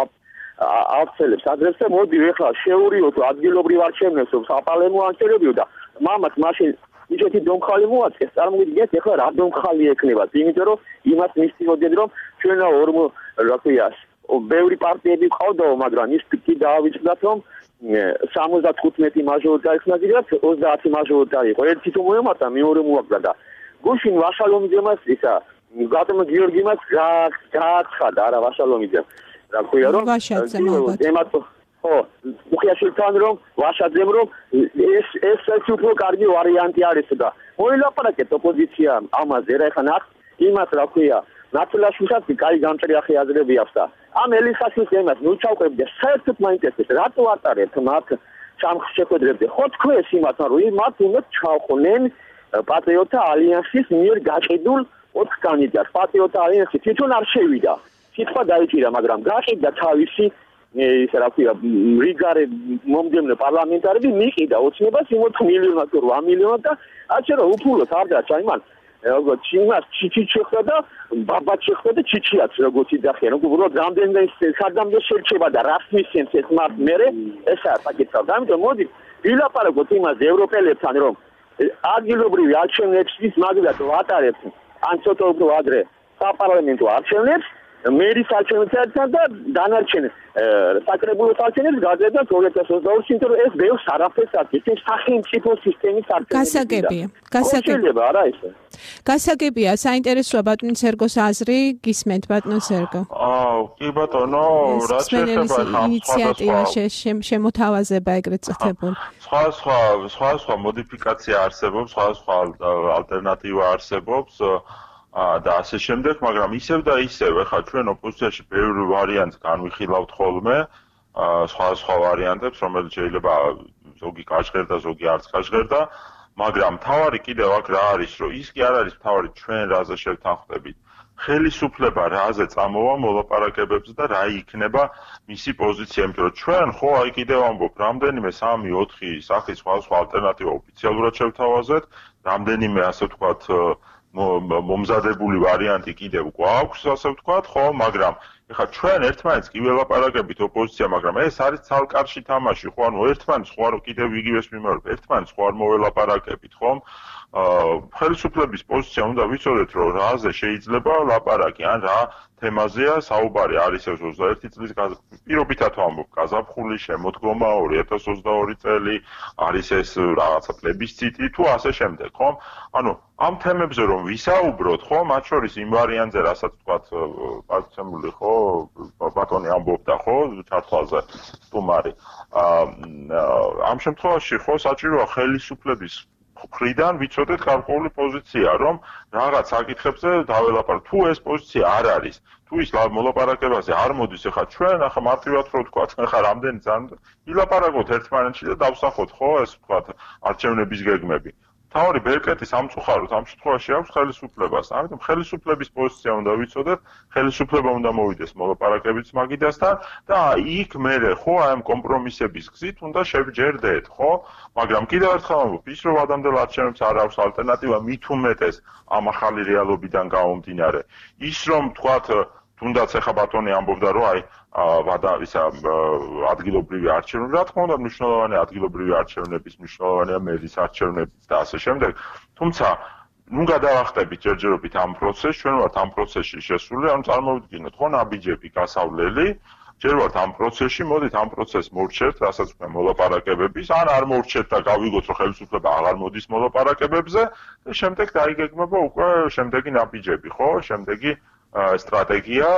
ავცელებს ადრესს და მოდი ეხლა შეურიოთ ადგილობრივ არჩევნებს, რომ საპარლამენტო არჩევნებიო და მამაც მაშინ ისეთი დომხალი მოაწყეს, წარმოგიდგენთ ეხლა რა დომხალი ექნება, იმიტომ რომ იმას მისწოდეთ, რომ ჩვენა რა ქვია, ბევრი პარტიები ყავდაო, მაგრამ ის კი დაავიწყდათ, რომ 75 მაჟორიტარი ხნაგიდათ, 30 მაჟორიტარი იყო. ერთი თუ მოემართა, მეორე მოაგდა და გუშინ ვაშალომიძემაც ისა გატომ გიორგიმაც გააცხადა არა ვაშალომიძემ რა ქვია რომ ხო უხიაშილთან რომ ვაშაძემ რომ ეს უფრო კარგი ვარიანტი არის და მოილაპარაკეთ ოპოზიცია ამაზე რა ხან აქ იმას რა ქვია ნაცვლაშვილსაც კაი გამჭრიახი აზრები აქვს და ამ ელისაშვილს ემას ნუ ჩავყრები და საერთოდ მაინტერესებს რატო ატარებთ მათ სამხედროებზე ხო თქვენს იმასთან რომ მათ უნდა ჩავხნენ პატრიოტთა ალიანსის მიერ გაყიდულ 4 კანდიდატს პატრიოტთა ალიანსი თვითონ არ შევიდა სიტყვა დაიჭირა მაგრამ გაყიდა თავისი ისე რა ქვია რიგარე მომდევნო პარლამენტარები მიყიდა ოცნებას იმ 4 მილიონად თუ 8 მილიონად და ასე რომ უფულოდ არ დაჭა იმან როგორც ჩინას ჩიჩი შეხვდა და ბაბა შეხვდა და ჩიჩიაც როგორც იდახია რომ უბრალოდ რამდენიმე სადამდე შეიძლება და რას მისცემს ეს მათ მერე ესაა საკითხი და ამიტომ მოდი ვილაპარაკოთ იმაზე ევროპელებთან რომ ადგილობრივი არჩევნების მაგალითად ვატარებთ ან ცოტა უფრო ადრე საპარლამენტო არჩევნებს მერის არჩევნებთან და დანარჩენ საკრებულოს არჩევნებს გადაეცა 2022 წელს რომ ეს ბევრს არაფერს აკეთებს ეს სახელმწიფო სისტემის არჩევნებია. გასაგებია არა ისე. გასაგებია, საინტერესოა ბატონი სერგოს აზრი, გისმენთ ბატონ სერგო. კი ბატონო, რა შეიძლება ინიციატივა შემოთავაზება ეგრეთ წუთებული. სხვა მოდიფიკაცია არსებობს, სხვა ალტერნატივა არსებობს. და ასე შემდეგ, მაგრამ ისევ და ისევ, ხა ჩვენ ოპოზიციაში ბევრი ვარიანტს განვიხილავთ ხოლმე, სხვა ვარიანტებს, რომელიც შეიძლება ზოგი გაჟღერდა, ზოგი არც გაჟღერდა, მაგრამ თავარი კიდევ აქ რა არის, რომ ის კი არ არის თავარი ჩვენ რაზე შევთანხმდებით. ხელისუფლება რაზე წამოვა მოლაპარაკებებზე და რა იქნება მისი პოზიცია, იმიტომ რომ ჩვენ ხო აი კიდევ ამბობ, რამდენიმე 3-4 სახის სხვა ალტერნატივა ოფიციალურად შევთავაზეთ, რამდენიმე ასე ვთქვათ მომზადებული ვარიანტი კიდევ გვაქვს, ასე ვთქვათ, ხო, მაგრამ ეხლა ჩვენ ერთმანეთს კი ველაპარაკებით ოპოზიცია, მაგრამ ეს არის ცალკარში თამაში, ხო, ანუ ერთმანეთს ხო არ კიდევ იგივეს მიმართ, ერთმანეთს ხო არ მოველაპარაკებით, ხომ? ხელისუფლების პოზიცია უნდა ვიცოდეთ, რომ რაზე შეიძლება ლაპარაკი, ან რა თემაზეა საუბარი, არის ეს 21 წლის პირობითად ვამბობ, გაზაფხული, შემოდგომა 2022 წელი, არის ეს რაღაცა პლებისციტი თუ ასე შემდეგ, ხომ? ანუ ამ თემებზე რომ ვისაუბროთ, ხო, მათ შორის იმ ვარიანტზე, რასაც ვთქვათ, პარცემული, ხო, ბატონი ამბობდა, ხო, ჩართვალზე სტუმარი. ამ შემთხვევაში, ხო, საჭიროა ხელისუფლების მხრიდან ვიცოდეთ გარკვეული პოზიცია, რომ რაღაც საკითხებზე დაველაპარაკოთ. თუ ეს პოზიცია არ არის, თუ ის მოლაპარაკებაზე არ მოდის, ახლა ჩვენ ახლა მარტივად რო ვთქვათ, ახლა რამდენი ძალიან ვილაპარაკოთ ერთმანეთში და დავსახოთ, ხო, ეს ვთქვათ, არჩევნების გეგმები. თავარი ბერკეტი სამწუხაროდ ამ შემთხვევაში აქვს ხელისუფლებას. ამიტომ ხელისუფლების პოზიცია უნდა ვიცოდეთ, ხელისუფლება უნდა მოვიდეს მოლაპარაკებების მაგიდასთან და იქ მერე ხო აი ამ კომპრომისების გზით უნდა შევჯერდეთ, ხო? მაგრამ კიდევ ერთხელ ვამბობ, ის რომ ადამიანელ არჩევნებს არ აქვს ალტერნატივა მით უმეტეს ამ ახალი რეალობიდან გამომდინარე. ის რომ თქვათ თუნდაც ახლა ბატონი ამბობდა რომ აი ადგილობრივი არჩევნები, რა თქმა უნდა, მნიშვნელოვანია ადგილობრივი არჩევნების, მნიშვნელოვანია მერის არჩევნები და ასე შემდეგ. თუმცა, ნუ გადავახტებით ჯერჯერობით ამ პროცესს, ჩვენ ვართ ამ პროცესში შესული, ანუ წარმოვიდგინოთ, ხო, ნაბიჯები გასავლელი, ჯერ ვართ ამ პროცესში, მოდით ამ პროცესს მოვრჩევთ, რასაც ვქნა მოლაპარაკებების, ან არ მოვრჩევთ და გავიგოთ, რომ ხელისუფლება აღარ მოდის მოლაპარაკებებზე და შემდეგ დაიგეგმება უკვე შემდეგი ნაბიჯები, ხო, შემდეგი სტრატეგია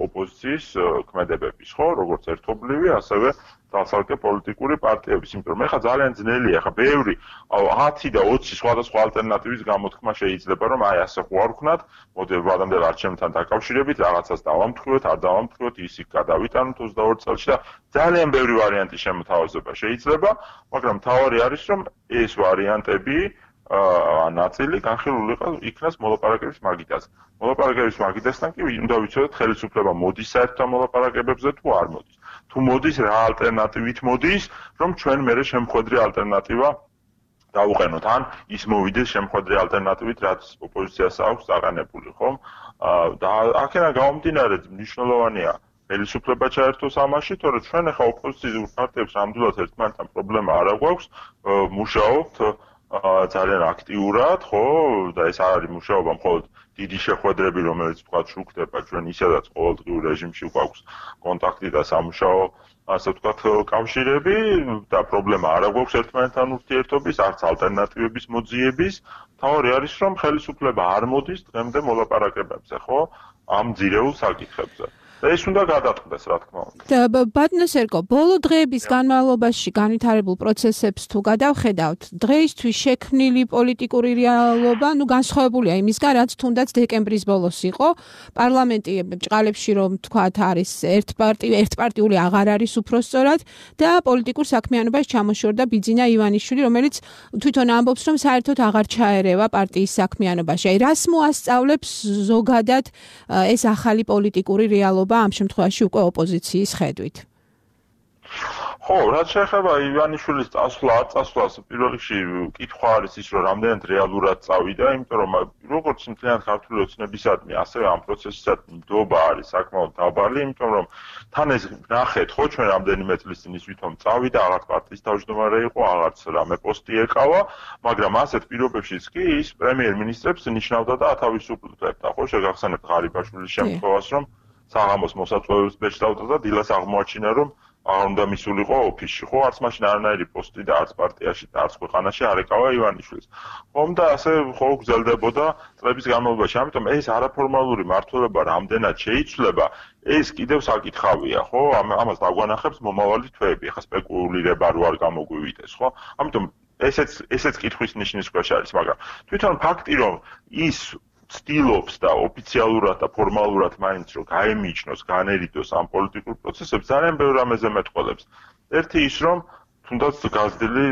ოპოზიციის ქმედებების, ხო, როგორც ერთობლივი, ასევე დასალკე პოლიტიკური პარტიების, იმიტომ რომ ეხლა ძალიან ძნელია, ეხლა ბევრი 10 და 20 სხვადასხვა ალტერნატივის გამოთქმა შეიძლება, რომ აი ასე ხო არ ვქნათ, მოდელვადამდელ არჩევნებთან დაკავშირებით რაღაცას დავამტყუოთ, არ დავამტყუოთ, ისიქ გადავიტანოთ 22 წელში და ძალიან ბევრი ვარიანტი შემოთავაზება შეიძლება, მაგრამ თავარი არის, რომ ეს ვარიანტები ნაწილი განხილული იქნას მოლაპარაკების მაგიდაზე. მოლაპარაკების მაგიდასთან კი უნდა ვიცოდეთ, ხელისუფლება მოდის საერთო მოლაპარაკებებზე თუ არ მოდის. თუ მოდის, რა ალტერნატივით მოდის, რომ ჩვენ მერე შემხვედრი ალტერნატივა დავუყენოთ, ან ის მოვიდეს შემხვედრი ალტერნატივით, რაც ოპოზიციას აქვს დაყენებული, ხომ? და აქედან გამომდინარე მნიშვნელოვანია ხელისუფლება ჩაერთოს ამაში, თორემ ჩვენ ახლა ოპოზიციურ პარტიებს ნამდვილად ერთმანეთთან პრობლემა არ აქვს, მუშაობთ ძალიან აქტიურად, ხო, და ეს არ არის მუშაობა მხოლოდ დიდი შეხვედრები, რომელიც თქვა შუქდება ჩვენ ისედაც ყოველდღიურ რეჟიმში გვაქვს კონტაქტი და სამუშაო ასე ვთქვათ კავშირები და პრობლემა არ აქვს ერთმანეთთან ურთიერთობის, არც ალტერნატივების მოძიების. თავი არის რომ ხელისუფლება არ მოდის დღემდე მოლაპარაკებებზე, ხო? ამ ძირეულ საკითხებზე. და ეს უნდა გადაწყდეს, რა თქმა უნდა. ბატონო სერგო, ბოლო დღეების განმავლობაში განვითარებულ პროცესებს თუ გადავხედავთ, დღეისთვის შექმნილი პოლიტიკური რეალობა, განსხვავებულია იმისგან, რაც თუნდაც დეკემბრის ბოლოს იყო. პარლამენტი ბრჭყალებში რომ თქვათ არის ერთპარტიული აღარ არის უпроსწორად და პოლიტიკურ საქმიანობას ჩამოშორდა ბიძინა ივანიშვილი, რომელიც თვითონ ამბობს, რომ საერთოდ აღარ ჩაერევა პარტიის საქმიანობაში. აი, რას მოასწავლებს ზოგადად ეს ახალი პოლიტიკური რეალობა ამ შემთხვევაში უკვე ოპოზიციის ხედვით? ხო, რაც შეეხება ივანიშვილის წასვლა, არ წასვლას პირველ რიგში კითხვა არის ის, რომ რამდენად რეალურად წავიდა, იმიტომ რომ როგორც მთლიანად ქართული ოცნებისადმი, ასევე ამ პროცესისადმი ნდობა არის საკმაოდ დაბალი, იმიტომ რომ თან ეს ნახეთ, ხო, ჩვენ რამდენიმე წლის წინ ის ვითომ წავიდა, აღარც პარტიის თავმჯდომარე იყო, აღარც რამე პოსტი ეკავა, მაგრამ ასეთ პირობებშიც კი ის პრემიერ-მინისტრებს ნიშნავდა და ათავისუფლებდა, ხო, შეგახსენებთ ღარიბაშვილის შემთხვევას, რომ საღამოს მოსაწვევებს ბეჭდავდა და დილას აღმოაჩინა, რომ აღარ უნდა მისულიყო ოფისში, ხო, არც მაშინ არანაირი პოსტი და არც პარტიაში და არც ქვეყანაში არ ეკავა ივანიშვილს. ხომ და ასე ხო გრძელდებოდა წლების განმავლობაში. ამიტომ ეს არაფორმალური მმართველობა რამდენად შეიცვლება, ეს კიდევ საკითხავია, ხო? ამას დაგვანახებს მომავალი თვეები. ახლა სპეკულირება რო არ გამოგვივიდეს, ხო? ამიტომ ესეც კითხვის ნიშნის ქვეშ არის, მაგრამ თვითონ ფაქტი, რომ ის ცდილობს და ოფიციალურად და ფორმალურად მაინც რომ გაემიჯნოს, განერიდოს ამ პოლიტიკურ პროცესებს, ძალიან ბევრ რამეზე მეტყველებს. ერთი ის, რომ თუნდაც გაზრდილი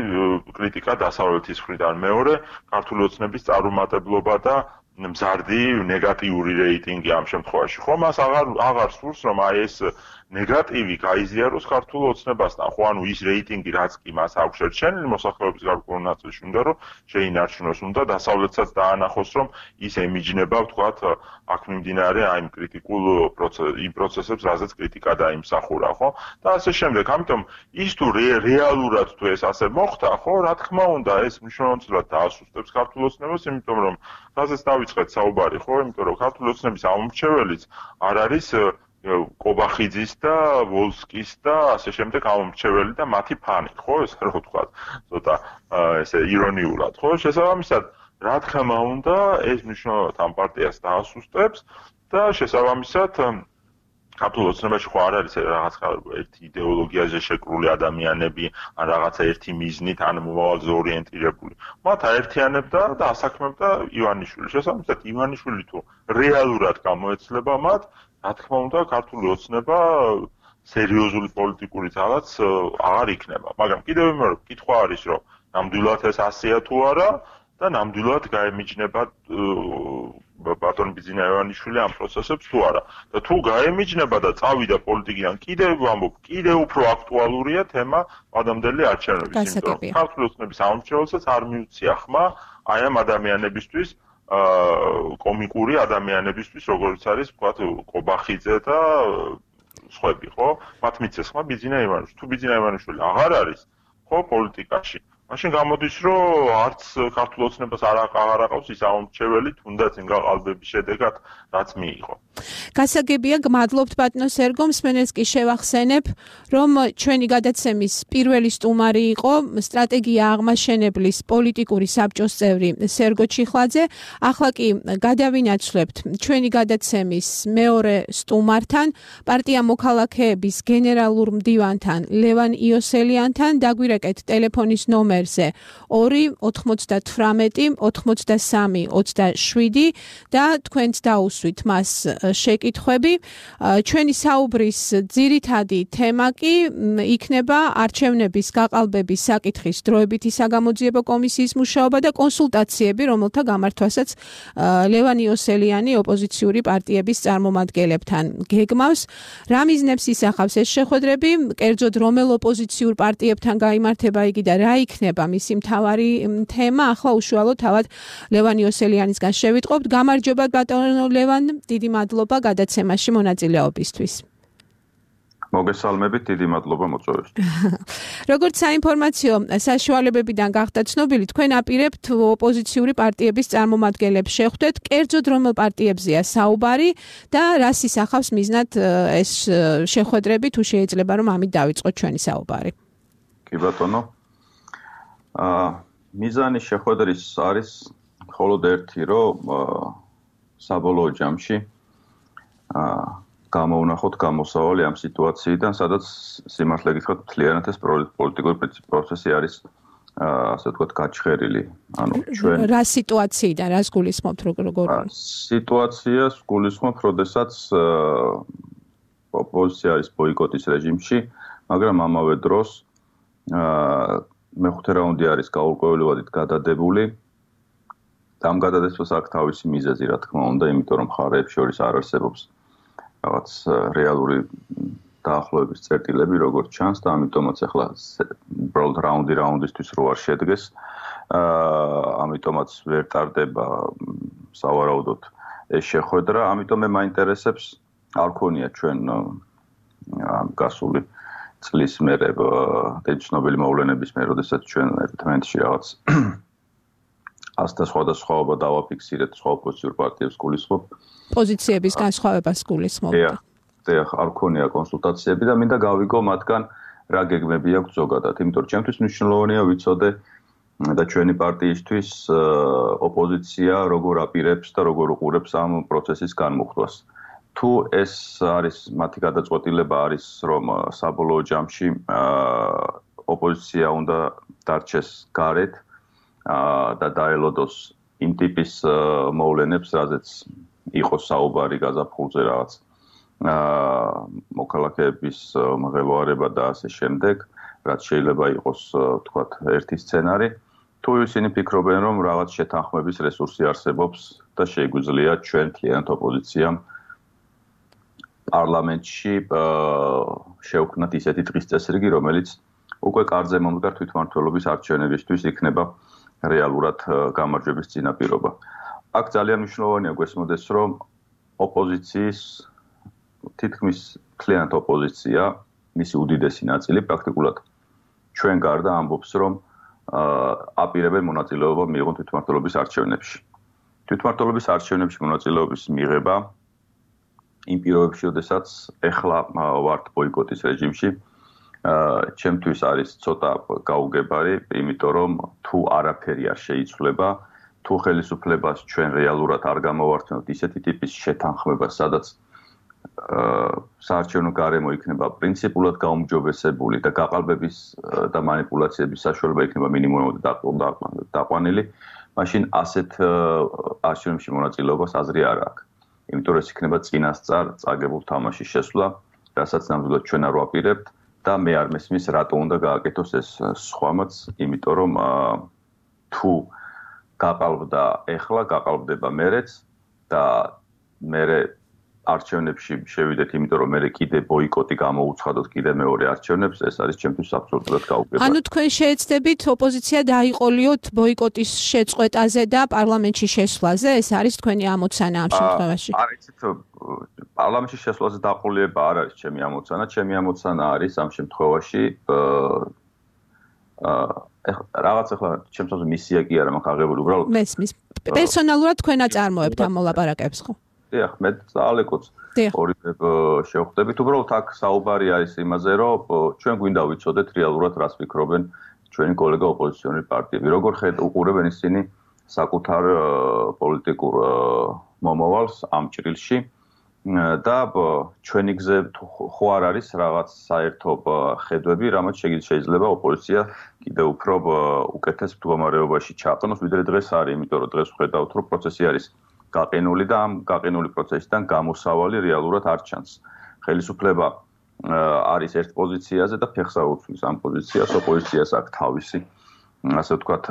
კრიტიკა დასავლეთის მხრიდან, მეორე ქართული ოცნების წარუმატებლობა და მზარდი ნეგატიური რეიტინგი ამ შემთხვევაში. ხო, მას აღარ სურს, რომ აი ეს ნეგატივი გაიზიაროს ქართულ ოცნებასთან. ხო, ანუ ის რეიტინგი, რაც კი მას აქვს შერჩენილი მოსახლეობის გარკვეულ ნაწილში, უნდა რომ შეინარჩუნოს, უნდა დასავლეთსაც დაანახოს, რომ ის ემიჯნება, ვთქვათ, აქ მიმდინარე აი კრიტიკულ პროცესებს, რაზეც კრიტიკა დაიმსახურა, ხო? და ასე შემდეგ. ამიტომ ის თუ რეალურად თუ ეს ასე მოხდა, ხო, რა თქმა უნდა, ეს მნიშვნელოვნად დაასუსტებს ქართულ ოცნებას, იმიტომ რომ რაზეც დავიწყეთ საუბარი, ხო, იმიტომ რომ ქართული ოცნების ამომრჩეველიც არ არის კობახიძის და ვოლსკის და ასე შემდეგ ამომრჩეველი და მათი ფანი, ხო, ესე რომ ვთქვათ, ცოტა ესე ირონიულად, ხო, შესაბამისად, რა თქმა უნდა, ეს მნიშვნელოვნად ამ პარტიას დაასუსტებს და შესაბამისად ქართულ ოცნებაში ხო არ არის რაღაც ერთი იდეოლოგიაზე შეკრული ადამიანები, ან რაღაცა ერთი მიზნით, ან მომავალზე ორიენტირებული. მათ აერთიანებდა და ასაქმებდა ივანიშვილი. შესაბამისად, ივანიშვილი თუ რეალურად გამოეცლება მათ, რა თქმა უნდა, ქართული ოცნება სერიოზული პოლიტიკური ძალაც აღარ იქნება. მაგრამ კიდევ მეორე კითხვა არის, რომ ნამდვილად ეს ასეა თუ არა და ნამდვილად გაემიჯნება ბატონ ბიძინა ივანიშვილი ამ პროცესებს თუ არა. და თუ გაემიჯნება და წავიდა პოლიტიკიდან, კიდევ ვამბობ, კიდევ უფრო აქტუალურია თემა ადამდელი არჩევნების. გასაგებია. ქართული ოცნების ამომრჩეველსაც არ მიუცია ხმა აი ამ ადამიანებისთვის, კომიკური ადამიანებისთვის, როგორც არის, ვთქვათ, კობახიძე და სხვები, ხო? მათ მიცეს ხმა ბიძინა ივანიშვილი. თუ ბიძინა ივანიშვილი აღარ არის, ხო, პოლიტიკაში, მაშინ გამოდის, რომ არც ქართულ ოცნებას აღარ აყავს ის ამომრჩეველი, თუნდაც იმ გაყალბების შედეგად, რაც მიიღო. გასაგებია, გმადლობთ ბატონო სერგო, მსმენელს კი შევახსენებ, რომ ჩვენი გადაცემის პირველი სტუმარი იყო სტრატეგია აღმაშენებლის პოლიტიკური საბჭოს წევრი სერგო ჩიხლაძე. ახლა კი გადავინაცვლებთ ჩვენი გადაცემის მეორე სტუმართან, პარტია მოქალაქეების გენერალურ მდივანთან ლევან იოსელიანთან. დაგვირეკეთ ტელეფონის ნომერზე 2-98-83-27 და თქვენც დაუსვით მას შეკითხვები. ჩვენი საუბრის ძირითადი თემა კი იქნება არჩევნების გაყალბების საკითხის დროებითი საგამოძიებო კომისიის მუშაობა და კონსულტაციები, რომელთა გამართვასაც ლევან იოსელიანი ოპოზიციური პარტიების წარმომადგენლებთან გეგმავს. რა მიზნებს ისახავს ეს შეხვედრები, კერძოდ რომელ ოპოზიციურ პარტიებთან გაიმართება იგი და რა იქნება მისი მთავარი თემა, ახლა უშუალოდ თავად ლევან იოსელიანისგან შევიტყობთ. გამარჯობა ბატონო ლევან, დიდი მადლობა გადაცემაში მონაწილეობისთვის. მოგესალმებით, დიდი მადლობა მოწვევისთვის. როგორც საინფორმაციო საშუალებებიდან გახდა ცნობილი, თქვენ აპირებთ ოპოზიციური პარტიების წარმომადგენლებს შეხვდეთ, კერძოდ რომელ პარტიებზეა საუბარი და რას ისახავს მიზნად ეს შეხვედრები, თუ შეიძლება რომ ამით დავიწყოთ ჩვენი საუბარი. კი ბატონო. მიზანი შეხვედრის არის მხოლოდ ერთი, რომ საბოლოო ჯამში გამოვნახოთ გამოსავალი ამ სიტუაციიდან, სადაც სიმართლე გითხრათ, მთლიანად ეს პოლიტიკური პროცესი არის ასე ვთქვათ, გაჩხერილი. ანუ ჩვენ რა სიტუაციიდან, რას გულისხმობთ როგორ? სიტუაციას გულისხმობთ, როდესაც ოპოზიცია არის ბოიკოტის რეჟიმში, მაგრამ ამავე დროს მეხუთე რაუნდი არის გაურკვევლივად გადადებული. ამ გადადებას აქვს თავისი მიზეზი, რა თქმა უნდა, იმიტომ რომ მხარეებს შორის არ არსებობს რაღაც რეალური დაახლოების წერტილები, როგორც ჩანს და ამიტომაც ახლა უბრალოდ რაუნდისთვის რო არ შედგეს. ამიტომაც ვერ ტარდება სავარაუდოდ ეს შეხვედრა, ამიტომ მე მაინტერესებს არ ქონია ჩვენ გასული წლის მერე ცნობილი მოვლენების მერე, როდესაც ჩვენ ერთმანეთში რაღაც ასთა სხვადასხვაობა დავაფიქსირეთ სხვა ოპოზიციურ პარტიებს გულისხმობ. პოზიციების განსხვავებას გულისხმობ. არ ქონია კონსულტაციები და მინდა გავიგო მათგან რა გეგმები აქვს ზოგადად. იმიტომ რომ ჩემთვის მნიშვნელოვანია ვიცოდე და ჩვენი პარტიისთვის ოპოზიცია როგორ აპირებს და როგორ უყურებს ამ პროცესის განმუხტვას. თუ ეს არის მათი გადაწყვეტილება არის რომ საბოლოო ჯამში ოპოზიცია უნდა დარჩეს გარეთ და დაელოდოს იმ ტიპის მოვლენებს, რაზეც იყოს საუბარი გაზაფხულზე რაღაც მოქალაქეების მღელვარება და ასე შემდეგ, რაც შეიძლება იყოს თქვათ ერთი სცენარი. თუ ისინი ფიქრობენ რომ რაღაც შეთანხმების რესურსი არსებობს და შეგვიძლია ჩვენ მთლიანად ოპოზიციამ პარლამენტში შევქმნათ ისეთი დღის წესრიგი, რომელიც უკვე კარზე მომდგარ თვითმმართველობის არჩევნებისთვის იქნება რეალურად გამარჯვების წინაპირობა. აქ ძალიან მნიშვნელოვანია გვესმოდეს, რომ ოპოზიციის თითქმის მთლიანად ოპოზიცია, მისი უდიდესი ნაწილი პრაქტიკულად ჩვენ გარდა ამბობს, რომ აპირებენ მონაწილეობა მიიღონ თვითმმართველობის არჩევნებში. თვითმმართველობის არჩევნებში მონაწილეობის მიღება იმ პირობებში, როდესაც ეხლა ვართ ბოიკოტის რეჟიმში, ჩემთვის არის ცოტა გაუგებარი, იმიტომ რომ თუ არაფერი არ შეიცვლება, თუ ხელისუფლებას ჩვენ რეალურად არ გამოვართმევთ ისეთი ტიპის შეთანხმებას, სადაც საარჩევნო გარემო იქნება პრინციპულად გაუმჯობესებული და გაყალბების და მანიპულაციების საშუალება იქნება მინიმუმად დაყვანილი, მაშინ ასეთ არჩევნებში მონაწილეობას აზრი არ აქვს. იმიტომ რომ ეს იქნება წინასწარ წაგებულ თამაშის შესვლა, რასაც ნამდვილად ჩვენ არ ვაპირებთ და მე არ მესმის რატო უნდა გააკეთოს ეს სხვამაც, იმიტომ რომ თუ გაყალბდა ეხლა, გაყალბდება მერეც და მერე არჩევნებში შევიდეთ, იმიტომ რომ მე კიდე ბოიკოტი გამოუცხადოთ კიდე მეორე არჩევნებს, ეს არის ჩემთვის აბსოლუტურად გაუგებარი. ანუ თქვენ შეეცდებით ოპოზიცია დაიყოლიოთ ბოიკოტის შეწყვეტაზე და პარლამენტში შესვლაზე, ეს არის თქვენი ამოცანა ამ შემთხვევაში? არ იცით, პარლამენტში შესვლაზე დაყოლიება არ არის ჩემი ამოცანა, ჩემი ამოცანა არის ამ შემთხვევაში რაღაც ახლა ჩემთვის მისია კი არა, მაქვს აღებული უბრალოდ მესმის. პერსონალურად თქვენ აწარმოებთ ამ მოლაპარაკებს, ხო? დიახ, მე ძალეკოც ორივე შევხვდებით. უბრალოდ აქ საუბარი არის იმაზე, რომ ჩვენ გვინდა ვიცოდეთ რეალურად რას ფიქრობენ ჩვენი კოლეგა ოპოზიციონერი პარტიები. როგორ უყურებენ ისინი საკუთარ პოლიტიკურ მომავალს ამ ჭრილში და ჩვენი გზე ხო არ არის რაღაც საერთო ხედვები, რამაც შეიძლება ოპოზიცია კიდევ უფრო უკეთეს მდგომარეობაში ჩაყნოს, ვიდრე დღეს არის, იმიტომ რომ დღეს ვხედავთ, რომ პროცესი არის გაყინული და ამ გაყინული პროცესიდან გამოსავალი რეალურად არ ჩანს. ხელისუფლება არის ერთ პოზიციაზე და ფეხს აუცვლის ამ პოზიციას, ოპოზიციას აქვს თავისი, ასე ვთქვათ,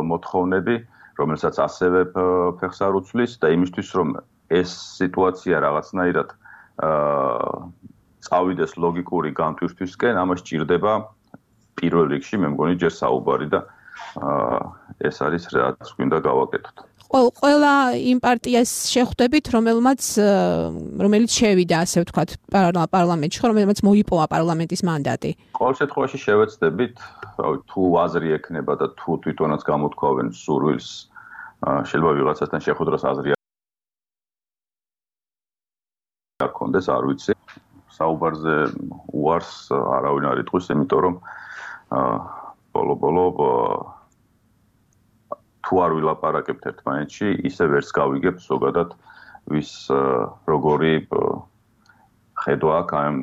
მოთხოვნები, რომელსაც ასევე ფეხს არ უცვლის და იმისთვის, რომ ეს სიტუაცია რაღაცნაირად წავიდეს ლოგიკური განტვირთვისკენ, ამას სჭირდება პირველ რიგში, მე მგონი ჯერ საუბარი და ეს არის რაც გვინდა გავაკეთოთ. ყველა იმ პარტიას შეხვდებით, რომელიც შევიდა, ასე ვთქვათ, პარლამენტში, რომელმაც მოიპოვა პარლამენტის მანდატი. ყოველ შემთხვევაში შევეცდებით, თუ აზრი ექნება და თუ თვითონაც გამოთქვავენ სურვილს, შეიძლება ვიღაცასთან შეხვედრას აზრი არ კონდეს, არ ვიცი. საუბარზე უარს არავინ არ იტყვის, იმიტომ რომ ბოლო თუ არ ვილაპარაკებთ ერთმანეთში, ისე ვერც გავიგებთ ზოგადად ვის როგორი ხედვა აქვს ამ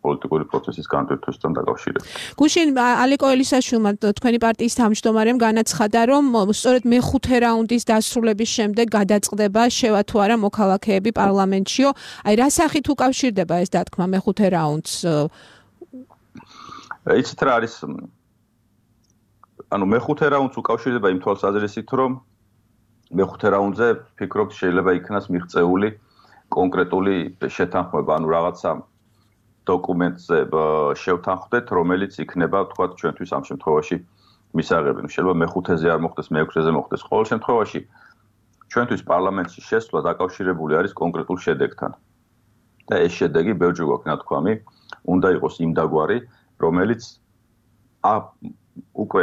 პოლიტიკური პროცესის განვითარებასთან დაკავშირებით. გუშინ ალეკო ელისაშვილმა თქვენი პარტიის თავმჯდომარემ განაცხადა, რომ სწორედ მეხუთე რაუნდის დასრულების შემდეგ გადაწყდება შევა თუ არა მოქალაქეები პარლამენტშიო. აი რა სახით უკავშირდება ეს დათქმა მეხუთე რაუნდს? იცით რა არის მეხუთე რაუნდს უკავშირდება იმ თვალსაზრისით, რომ მეხუთე რაუნდზე ფიქრობთ შეიძლება იქნას მიღწეული კონკრეტული შეთანხმება, რაღაცა დოკუმენტზე შევთანხმდეთ, რომელიც იქნება, თქვათ, ჩვენთვის ამ შემთხვევაში მისაღები. შეიძლება მეხუთეზე არ მოხდეს, მეექვსეზე მოხდეს. ყოველ შემთხვევაში ჩვენთვის პარლამენტში შესვლა დაკავშირებული არის კონკრეტულ შედეგთან. და ეს შედეგი ბევრჯერ გვაქვს ნათქვამი, უნდა იყოს იმდაგვარი, რომელიც უკვე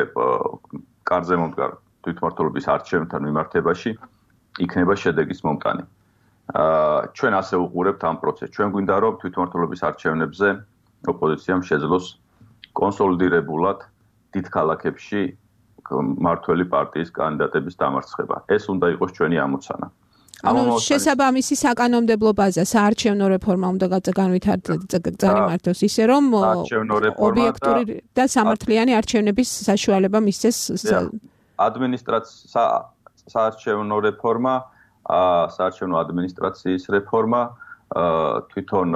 კარზე მომდგარ თვითმმართველობის არჩევნებთან მიმართებაში იქნება შედეგის მომტანი. ჩვენ ასე უყურებთ ამ პროცესს. ჩვენ გვინდა რომ თვითმმართველობის არჩევნებზე ოპოზიციამ შეძლოს კონსოლიდირებულად დიდ ქალაქებში მმართველი პარტიის კანდიდატების დამარცხება. ეს უნდა იყოს ჩვენი ამოცანა. შესაბამისი საკანონმდებლო ბაზა, საარჩევნო რეფორმა უნდა განვითარდეს ისე რომ ობიექტური და სამართლიანი არჩევნების საშუალება მისცეს საარჩევნო რეფორმა, საარჩევნო ადმინისტრაციის რეფორმა, თვითონ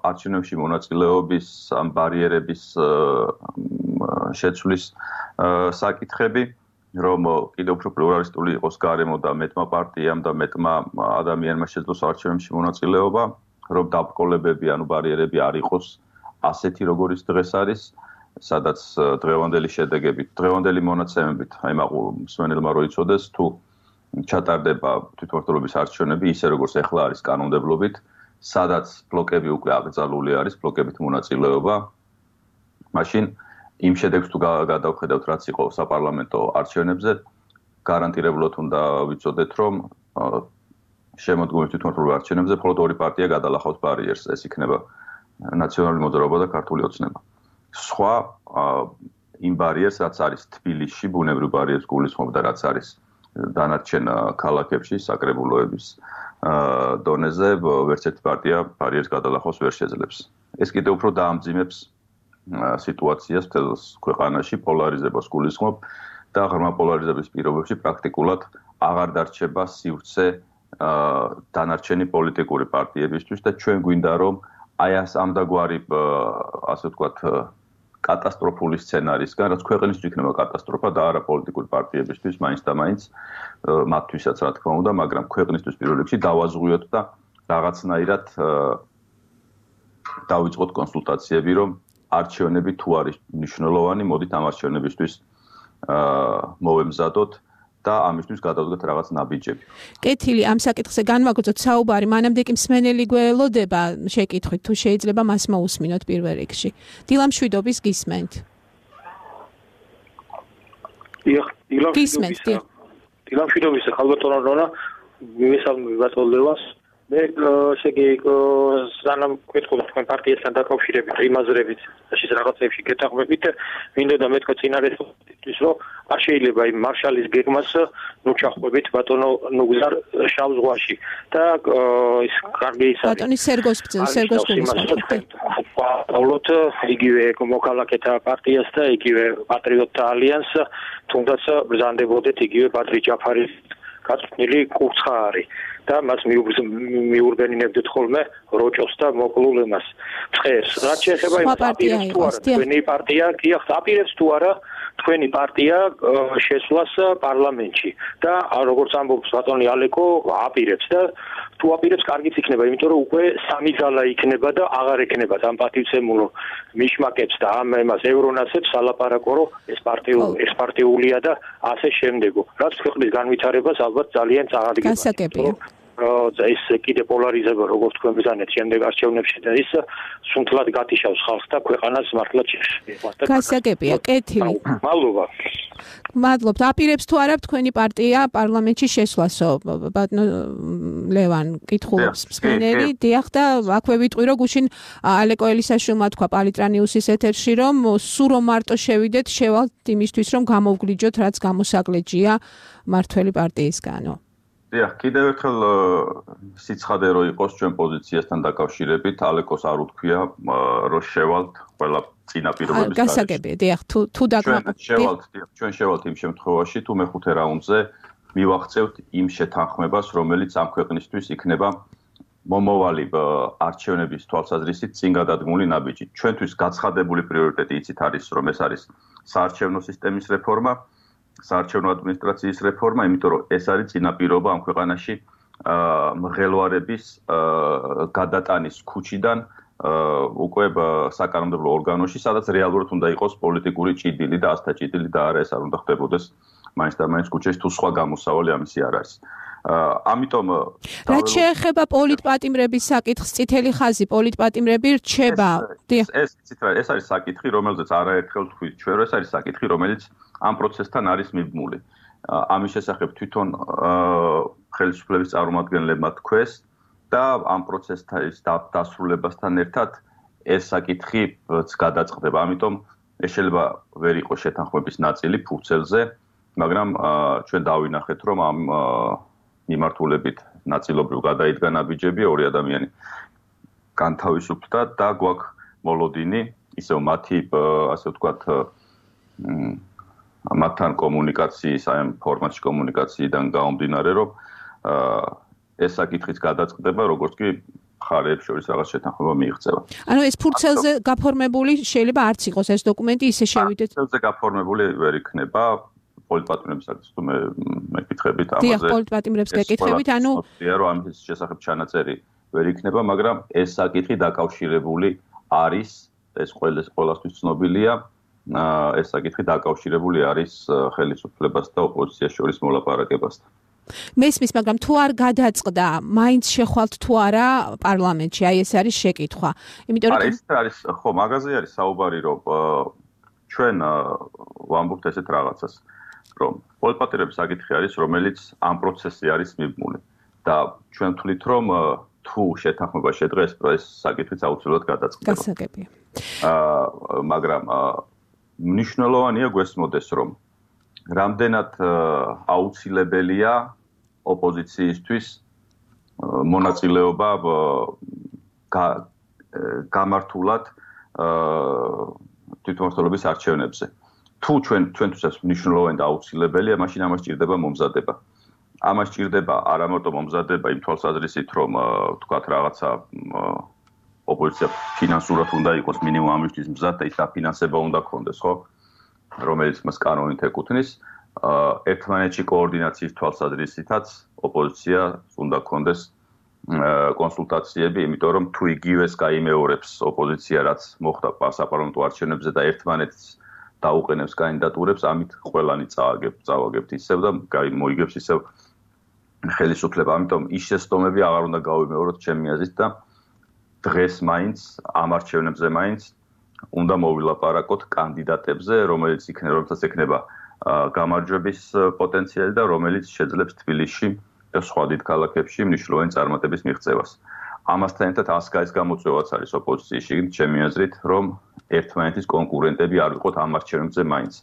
არჩევნებში მონაწილეობის ამ ბარიერების შეცვლის საკითხები, რომ კიდევ უფრო პლურალისტული იყოს გარემო და მეტმა პარტიამ და მეტმა ადამიანმა შეძლოს არჩევნებში მონაწილეობა, რომ დაბრკოლებები, ბარიერები არ იყოს ასეთი, როგორიც დღეს არის, სადაც დღევანდელი შედეგებით, დღევანდელი მონაცემებით, მსმენელმა რო იცოდეს, თუ ჩატარდება თვითმმართველობის არჩევნები ისე, როგორც ახლა არის კანონმდებლობით, სადაც ბლოკები უკვე აკრძალული არის, ბლოკებით მონაწილეობა, მაშინ იმ შედეგს თუ გადავხედავთ, რაც იყო საპარლამენტო არჩევნებზე, გარანტირებულად უნდა ვიცოდეთ, რომ შემოდგომის თვითმმართველობის არჩევნებზე მხოლოდ ორი პარტია გადალახავს ბარიერს, ეს იქნება ნაციონალური მოძრაობა და ქართული ოცნება. სხვა იმ ბარიერს, რაც არის თბილისში, ბუნებრივ ბარიერს გულისხმობ და რაც არის დანარჩენ ქალაქებში, საკრებულოების დონეზე, ვერც ერთი პარტია ბარიერს გადალახავს ვერ შეძლებს. ეს კიდევ უფრო დაამძიმებს სიტუაციას მთელ ქვეყანაში, პოლარიზებას გულისხმობ და ღრმა პოლარიზების პირობებში პრაქტიკულად აღარ დარჩება სივრცე დანარჩენი პოლიტიკური პარტიებისთვის და ჩვენ გვინდა რომ აი ამდაგვარი ასე ვთქვათ კატასტროფული სცენარისგან, რაც ქვეყნისთვის იქნება კატასტროფა და არა პოლიტიკური პარტიებისთვის, მაინც და მაინც მათთვისაც რა თქმა უნდა, მაგრამ ქვეყნისთვის პირველ რიგში დავაზღვიოთ და რაღაცნაირად დავიწყოთ კონსულტაციები, რომ არჩევნები თუ არის მნიშვნელოვანი, მოდით ამ არჩევნებისთვის მოვემზადოთ და ამისთვის გადავდგეთ რაღაც ნაბიჯები. კეთილი, ამ საკითხზე განვაგრძოთ საუბარი, მანამდე კი მსმენელი გველოდება შეკითხვით, თუ შეიძლება მას მოусმინოთ პირველ რიგში. დილამშვიდობის გისმენთ. დილამშვიდობის ხალბატონო რონა, მისალმები ბატონლევას. მე სანამ გვეთხოვთ თქვენ პარტიასთან დაკავშირებით, იმ აზრებით, ის რაღაცებში გეთანხმებით, მინდა და მეთქვა წინარეთვის, რომ არ შეიძლება იმ მარშალის გეგმას ჩახვებით ბატონო ნუგზარ შავ ზღვაში და ის კარგი ის არის. ბატონი სერგოს პავლოთ იგივე მოქალაქეთა პარტიას და იგივე პატრიოტთა ალიანსს, თუნდაც ბრძანდებოდეთ იგივე ბადრი ჯაფარის გაწვნილი კურცხაარი. და მას მიურბენინებდით ხოლმე როჭოს და მოკლულ ემას წყერს. რაც შეეხება იმ პარტიას თუ არა, თქვენი პარტია კი აპირებს თუ არა თქვენი პარტია შესვლას პარლამენტში და როგორც ამბობს ბატონი ალეკო აპირებს და თუ აპირებს კარგიც იქნება, იმიტომ რომ უკვე სამი ძალა იქნება და აღარ ექნება ამ პატივცემულო მიშმაკებს და ამ εμას ევრონასებს ალაპარაკო რომ ეს პარტიულია და ასე შემდეგო. რაც ქვეყნის განვითარებას ალბათ ძალიან წააგდება. გასაგებია. ეს კიდე პოლარიზება როგორც თქვენ ბრძანეთ შემდეგ არჩევნებში და ის სუნთლად გათიშავს ხალხს და ქვეყანას მართლაც შეეხება. გასაგებია, კეთილი. მადლობა. მადლობთ. აპირებს თუ არა თქვენი პარტია პარლამენტში შესვლასო? ბატონო ლევან კითხულობს მსმენელი. დიახ და აქვე ვიტყვი რომ გუშინ ალეკო ელისაშვილმა თქვა პალიტრანიუსის ეთერში რომ სულ რომ მარტო შევიდეთ შევალთ იმისთვის რომ გამოვგლიჯოთ რაც გამოსაგლეჯია მართველი პარტიისგანო. დიახ, კიდევ ერთხელ სიცხადე რო იყოს ჩვენ პოზიციასთან დაკავშირებით, ალეკოს არ უთქვია რომ შევალთ ყველა წინა პირობების გარშემო. გასაგებია, დიახ, თუ ჩვენ შევალთ იმ შემთხვევაში, თუ მეხუთე რაუნდზე მივახცევთ იმ შეთანხმებას, რომელიც ამ ქვეყნისთვის იქნება მომავალი არჩევნების თვალსაზრისით წინ გადადგმული ნაბიჯი. ჩვენთვის გაცხადებული პრიორიტეტი იცით არის, რომ ეს არის საარჩევნო სისტემის რეფორმა, საარჩევნო ადმინისტრაციის რეფორმა, იმიტომ რომ ეს არის წინაპირობა ამ ქვეყანაში მღელვარების გადატანის ქუჩიდან უკვე საკანონმდებლო ორგანოში, სადაც რეალურად უნდა იყოს პოლიტიკური ჭიდილი და ასთა ჭიდილი და არა ეს არ უნდა ხდებოდეს მაინც და მაინც ქუჩაში თუ სხვა გამოსავალი ამისი არ არის. ამიტომ რაც შეეხება პოლიტპატიმრების საკითხს, წითელი ხაზი პოლიტპატიმრები რჩება. ეს არის საკითხი, რომელზეც არაერთხელ თქვით ჩვენ, რომ ეს არის საკითხი, რომელიც ამ პროცესთან არის მიბმული. ამის შესახებ თვითონ ხელისუფლების წარმომადგენლებმა თქვეს და ამ პროცესის დასრულებასთან ერთად ეს საკითხიც გადაწყდება. ამიტომ ეს შეიძლება ვერ იყოს შეთანხმების ნაწილი ფურცელზე, მაგრამ ჩვენ დავინახეთ, რომ ამ მიმართულებით ნაწილობრივ გადაიდგა ნაბიჯები, ორი ადამიანი განთავისუფლდა და გვაქვს მოლოდინი, ისევ მათი ასე ვთქვათ მათთან კომუნიკაციის, აი ამ ფორმატში კომუნიკაციიდან გამომდინარე, რომ ეს საკითხიც გადაწყდება, როგორც კი მხარეებს შორის რაღაც შეთანხმება მიიღწევა. ანუ ეს ფურცელზე გაფორმებული შეიძლება არც იყოს ეს დოკუმენტი, ისე შევიდეთ. ფურცელზე გაფორმებული ვერ იქნება. პოლიტპატიმრების საკითხს თუ მეკითხებით ამაზე. დიახ, პოლიტპატიმრებს გეკითხებით, ანუ რომ ამის შესახებ ჩანაწერი ვერ იქნება, მაგრამ ეს საკითხი დაკავშირებული არის, ეს ყველასთვის ცნობილია, ეს საკითხი დაკავშირებული არის ხელისუფლებას და ოპოზიციას შორის მოლაპარაკებასთან. მესმის, მაგრამ თუ არ გადაწყდა, მაინც შეხვალთ თუ არა პარლამენტში, აი ეს არის შეკითხვა. იმიტომ რომ ეს არის, ხო, მაგაზე არის საუბარი, რომ ჩვენ ვამბობთ ესეთ რაღაცას. რომ პოლიტპატიმრების საკითხი არის, რომელიც ამ პროცესში არის მიბმული და ჩვენ ვთვლით, რომ თუ შეთანხმება შედგეს, ეს საკითხიც აუცილებლად გადაწყდება. გასაგებია. მაგრამ მნიშვნელოვანია გვესმოდეს, რომ რამდენად აუცილებელია ოპოზიციისთვის მონაწილეობა გამართულად თვითმმართველობის არჩევნებზე. თუ ჩვენთვისაც მნიშვნელოვანი და აუცილებელია, მაშინ ამას ჭირდება მომზადება. ამას ჭირდება არა მარტო მომზადება იმ თვალსაზრისით, რომ თქვათ რაღაცა ოპოზიცია ფინანსურად უნდა იყოს მინიმუმ ამისთვის მზად და ის დაფინანსება უნდა ქონდეს, ხო? რომელიც მას კანონით ეკუთვნის, ერთმანეთში კოორდინაციის თვალსაზრისითაც ოპოზიცია უნდა ქონდეს კონსულტაციები, იმიტომ რომ თუ იგივეს გაიმეორებს ოპოზიცია, რაც მოხდა საპარლამენტო არჩევნებზე და ერთმანეთს დაუყენებს კანდიდატურებს, ამით ყველანი წავაგებთ ისევ და მოიგებს ისევ ხელისუფლება. ამიტომ ის შეცდომები აღარ უნდა გავიმეოროთ ჩემი აზრით და დღეს მაინც ამ არჩევნებზე მაინც უნდა მოვილაპარაკოთ კანდიდატებზე, რომელსაც ექნება გამარჯვების პოტენციალი და რომელიც შეძლებს თბილისში და სხვა დიდ ქალაქებში მნიშვნელოვანი წარმატების მიღწევას. ამასთან ერთად ასკაის გამოწვევაც არის ოპოზიციაში, ჩემი აზრით, რომ ერთმანეთის კონკურენტები არ ვიყოთ ამ არჩევნებზე მაინც.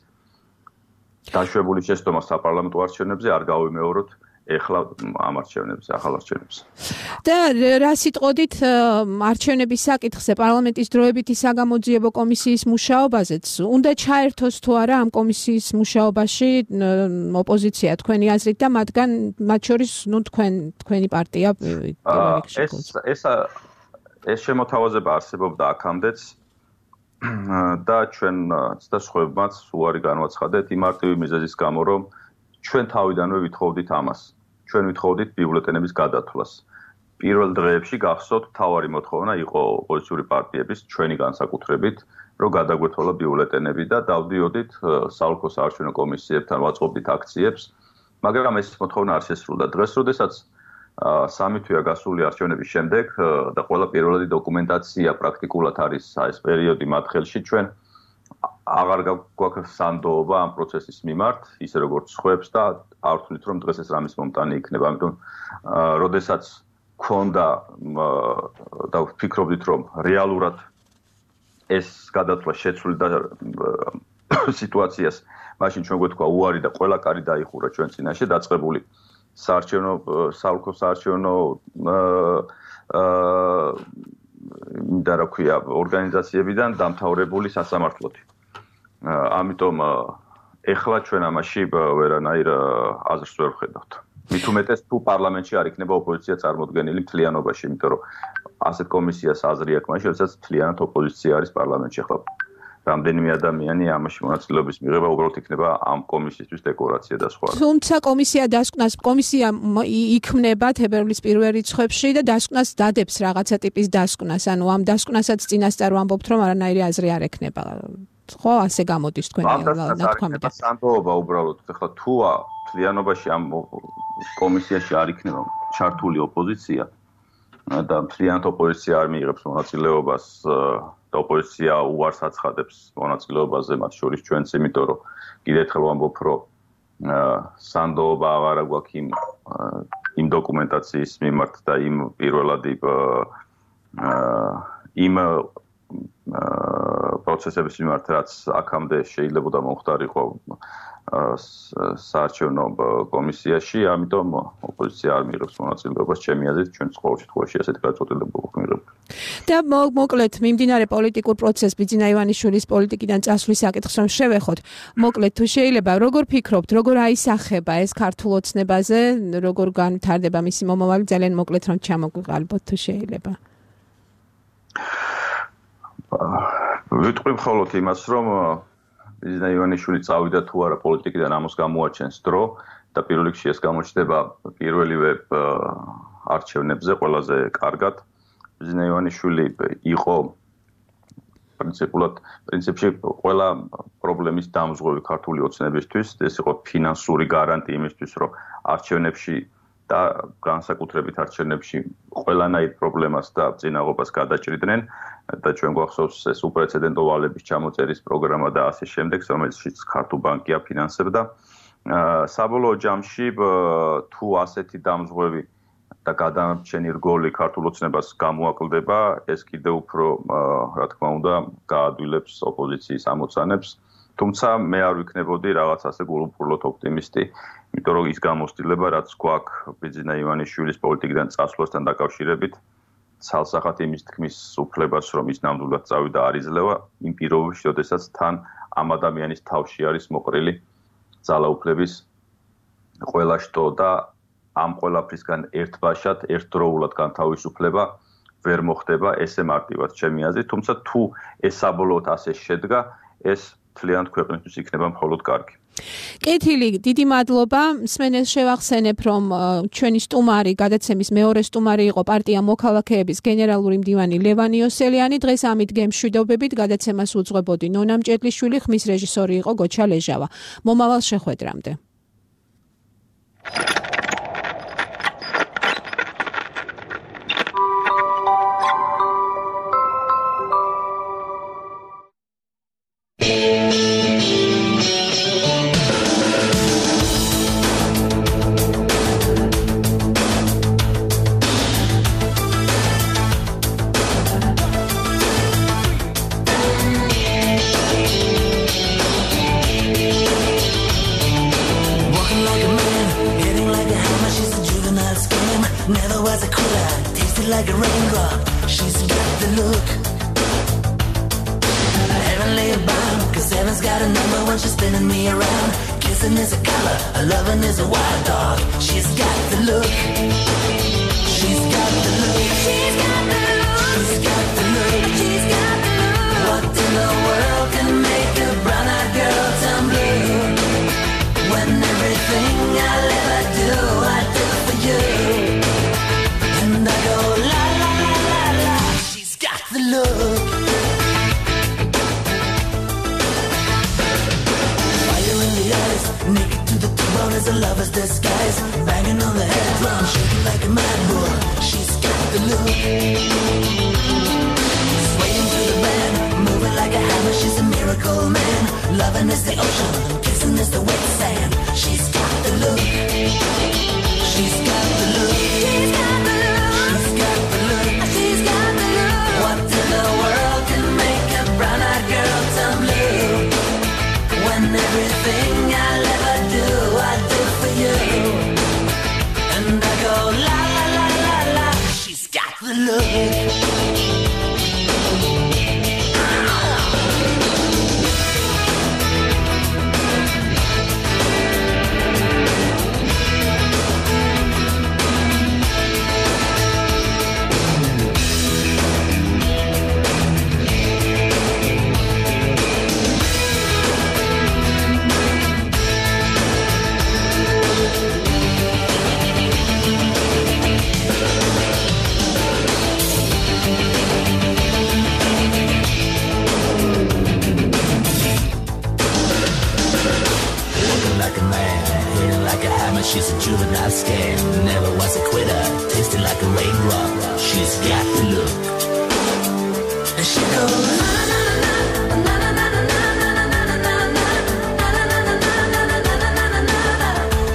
დაშვებული შეცდომა საპარლამენტო არჩევნებზე არ გავიმეოროთ ეხლა ამ არჩევნებზე, ახალ არჩევნებზე. და რა სიტყოდით არჩევნების საკითხზე პარლამენტის დროებითი საგამოძიებო კომისიის მუშაობაზეც უნდა ჩაერთოს თუ არა ამ კომისიის მუშაობაში ოპოზიცია თქვენი აზრით და მათ შორის თქვენი პარტია ეს შემოთავაზება არსებობდა აქამდეც და ჩვენ ცდასხვებმაც უარი განვაცხადეთ იმ მარტივი მიზეზის გამო, რომ ჩვენ თავიდანვე ვითხოვდით ამას. ჩვენ ვითხოვდით ბიულეტენების გადათვლას. პირველ დღეებში გახსოვთ, თავარი მოთხოვნა იყო ოპოზიციური პარტიების ჩვენი განსაკუთრებით, რომ გადაგვეთვალა ბიულეტენები და დავდიოდით საოლქო საარჩევნო კომისიებთან ვაწყობდით აქციებს, მაგრამ ეს მოთხოვნა არ შესრულდა. დღეს, როდესაც 3 თვეა გასული არჩევნების შემდეგ და ყველა პირველადი დოკუმენტაცია პრაქტიკულად არის ეს პერიოდი მათ ხელში, ჩვენ აღარ გვაქვს სანდოობა ამ პროცესის მიმართ, ისე როგორც სხვებს და არ ვთვლით, რომ დღეს ეს რამის მომტანი იქნება. ამიტომ, როდესაც გქონდა და ვფიქრობდით, რომ რეალურად ეს გადათვლა შეცვლიდა სიტუაციას, მაშინ ჩვენ გვეთქვა უარი და ყველა კარი დაიხურა ჩვენ წინაშე დაწყებული საოლქო საარჩევნო და რა ქვია ორგანიზაციებიდან დამთავრებული სასამართლოთი. ამიტომ ეხლა ჩვენ ამაში ვერანაირ აზრს ვერ ვხედავთ. მით უმეტეს თუ პარლამენტში არ იქნება ოპოზიცია წარმოდგენილი მთლიანობაში, იმიტომ რომ ასეთ კომისიას აზრი აქვს მაშინ, როდესაც მთლიანად ოპოზიცია არის პარლამენტში. ახლა რამდენიმე ადამიანი ამაში მონაწილეობის მიღება უბრალოდ იქნება ამ კომისიისთვის დეკორაცია და სხვა. თუმცა კომისია იქმნება თებერვლის პირველ რიცხვებში და დასკვნას დადებს რაღაცა ტიპის დასკვნას, ანუ ამ დასკვნასაც წინასწარ ვამბობთ, რომ არანაირი აზრი არ ექნება. ხო, ასე გამოდის თქვენი ნათქვამი. სანდოობა უბრალოდ ახლა თუ მთლიანობაში ამ კომისიაში არ იქნება ჩართული ოპოზიცია და მთლიანად ოპოზიცია არ მიიღებს მონაწილეობას და ოპოზიცია უარს აცხადებს მონაწილეობაზე მათ შორის ჩვენც, იმიტომ რომ კიდევ ერთხელ ვამბობ, რომ სანდოობა აღარა გვაქვს იმ დოკუმენტაციის მიმართ და იმ პირველადი იმ პროცესების მიმართ, რაც აქამდე შეიძლება მომხდარიყო საარჩევნო კომისიაში, ამიტომ ოპოზიცია არ მიიღებს მონაწილეობას ჩემი აზრით, ჩვენც ყოველ შემთხვევაში ასეთი გადაწყვეტილება გვიღებთ. და მოკლედ მიმდინარე პოლიტიკურ პროცესს ბიძინა ივანიშვილის პოლიტიკიდან წასვლის საკითხს რომ შევეხოთ, მოკლედ თუ შეიძლება, როგორ ფიქრობთ, როგორ აისახება ეს ქართულ ოცნებაზე, როგორ განვითარდება მისი მომავალი, ძალიან მოკლედ რომ ჩამოგვიყალბოთ თუ შეიძლება. ვიტყვი მხოლოდ იმას, რომ ბიძინა ივანიშვილი წავიდა თუ არა პოლიტიკიდან, ამას გამოაჩენს დრო და პირველ რიგში ეს გამოჩნდება პირველივე არჩევნებზე ყველაზე კარგად. ბიძინა ივანიშვილი იყო პრინციპში ყველა პრობლემის დამზღვევი ქართული ოცნებისთვის, ეს იყო ფინანსური გარანტი იმისთვის, რომ არჩევნებში და განსაკუთრებით არჩევნებში ყველანაირ პრობლემას და წინაღობას გადაჭრიდნენ და ჩვენ გვახსოვს ეს უპრეცედენტო ვალების ჩამოწერის პროგრამა და ასე შემდეგ, რომელშიც ქართულ ბანკი აფინანსებდა. საბოლოო ჯამში თუ ასეთი დამზღვევი და გადამრჩენი რგოლი ქართულ ოცნებას გამოაკლდება, ეს კიდევ უფრო, რა თქმა უნდა, გაადვილებს ოპოზიციის ამოცანებს. თუმცა მე არ ვიქნებოდი რაღაც ასე გულუბრყვილოდ ოპტიმისტი, იმიტომ რომ ის გამოცდილება, რაც გვაქვს ბიძინა ივანიშვილის პოლიტიკიდან წასვლასთან დაკავშირებით, ცალსახად იმის თქმის უფლებას, რომ ის ნამდვილად წავიდა არ იძლევა, იმ პირობებში, როდესაც თან ამ ადამიანის თავში არის მოყრილი ძალაუფლების ყველა შტო და ამ ყველაფრისგან ერთბაშად, ერთდროულად განთავისუფლება ვერ მოხდება ესე მარტივად ჩემი აზრით, თუმცა თუ ეს საბოლოოდ ასე შედგა, ეს მთლიანად ქვეყნისთვის იქნება მხოლოდ კარგი. კეთილი, დიდი მადლობა. მსმენელს შევახსენებ, რომ ჩვენი სტუმარი, გადაცემის მეორე სტუმარი იყო პარტია მოქალაქეების გენერალური მდივანი ლევან იოსელიანი. დღეს ამით გემშვიდობებით გადაცემას უძღვებოდი ნონა მჭედლიშვილი, ხმის რეჟისორი იყო გოჩა ლეჟავა. მომავალ შეხვედრამდე. Never was a cooler, tasted like a raindrop. She's got the look. Heavenly bound, cause heaven's got a number when she's spinning me around. Kissing is a color, a loving is a wild dog. She's got the look. She's got the look. She's got the look. She's got the look. She's got the look. What in the the look. Fire in the eyes, naked to the bone as a lover's disguise. Banging on the head drum, shaking like a mad bull. She's got the look. Swaying to the band, moving like a hammer. She's a miracle man. Loving is the ocean, kissing is the wet sand. She's got the look. She's got the look. She's got the look. She's got the look. She's got the look. What in the world can make a brown-eyed girl turn blue? When everything I'll ever do, I do for you. And I go la la la la la. She's got the look. She's a juvenile scam, never was a quitter, tasting like a raindrop. She's got the look. And she goes na na na na na na na na na na na na.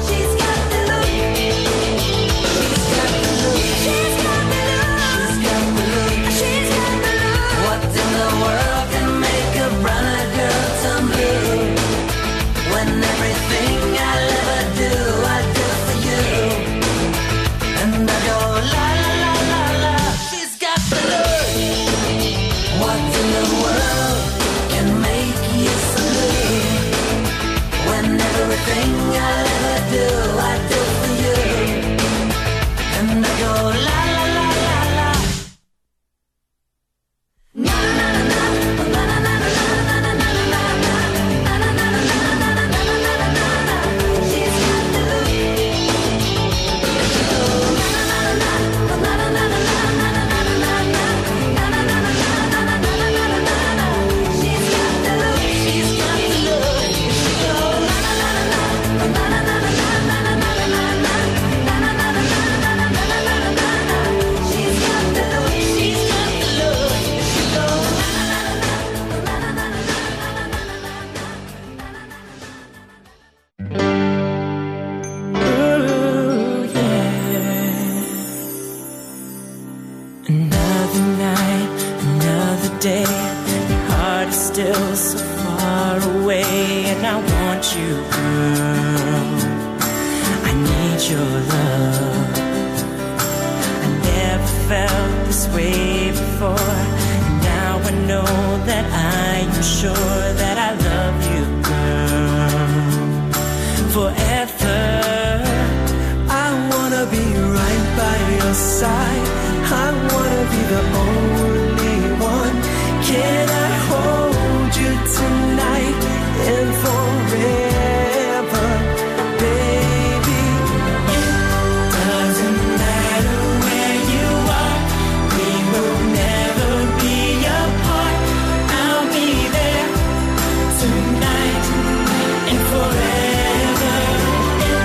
She's got the look. She's got the look. She's got the look. She's got the look. She's got the look. What in the world can make a brown-eyed girl turn blue? When everything I'll ever do, I do for you. And I go la la la la la. She's got the look. What in the world can make you so blue? When everything I'll ever do, I do for you. And I go la la la la la. Na na na na na na na na na na na na. Another night, another day. Your heart is still so far away, and I want you, girl. I need your love. I never felt this way before. Now I know that I am sure that I love you, girl, forever. I wanna be right by your side. I wanna be the only one. Can I hold you tonight and forever, baby? It doesn't matter where you are, we will never be apart. I'll be there tonight and forever. It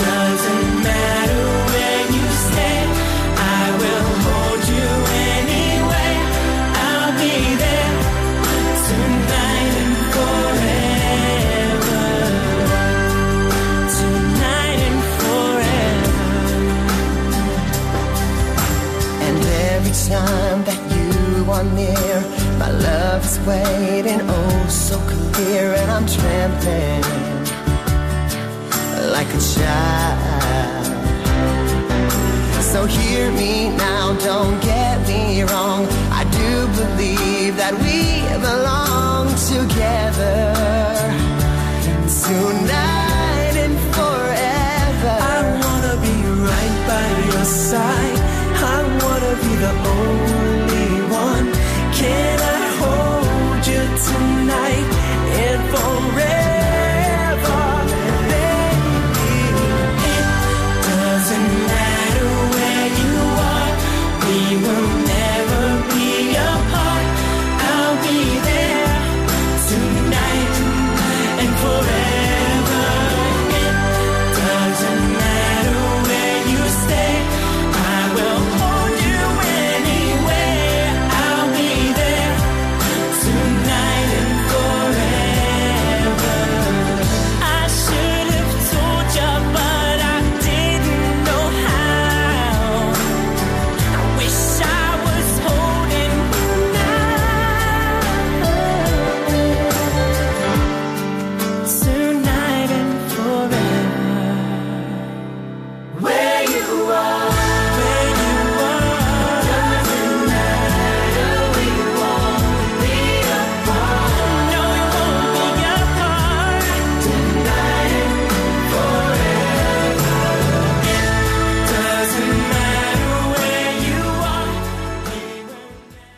doesn't matter where you stay, I will hold you anyway. I'll be there tonight and forever. Tonight and forever. And every time that you are near, my love is waiting, oh so clear. And I'm trembling like a child. So hear me now, don't get me wrong. I do believe that we belong together.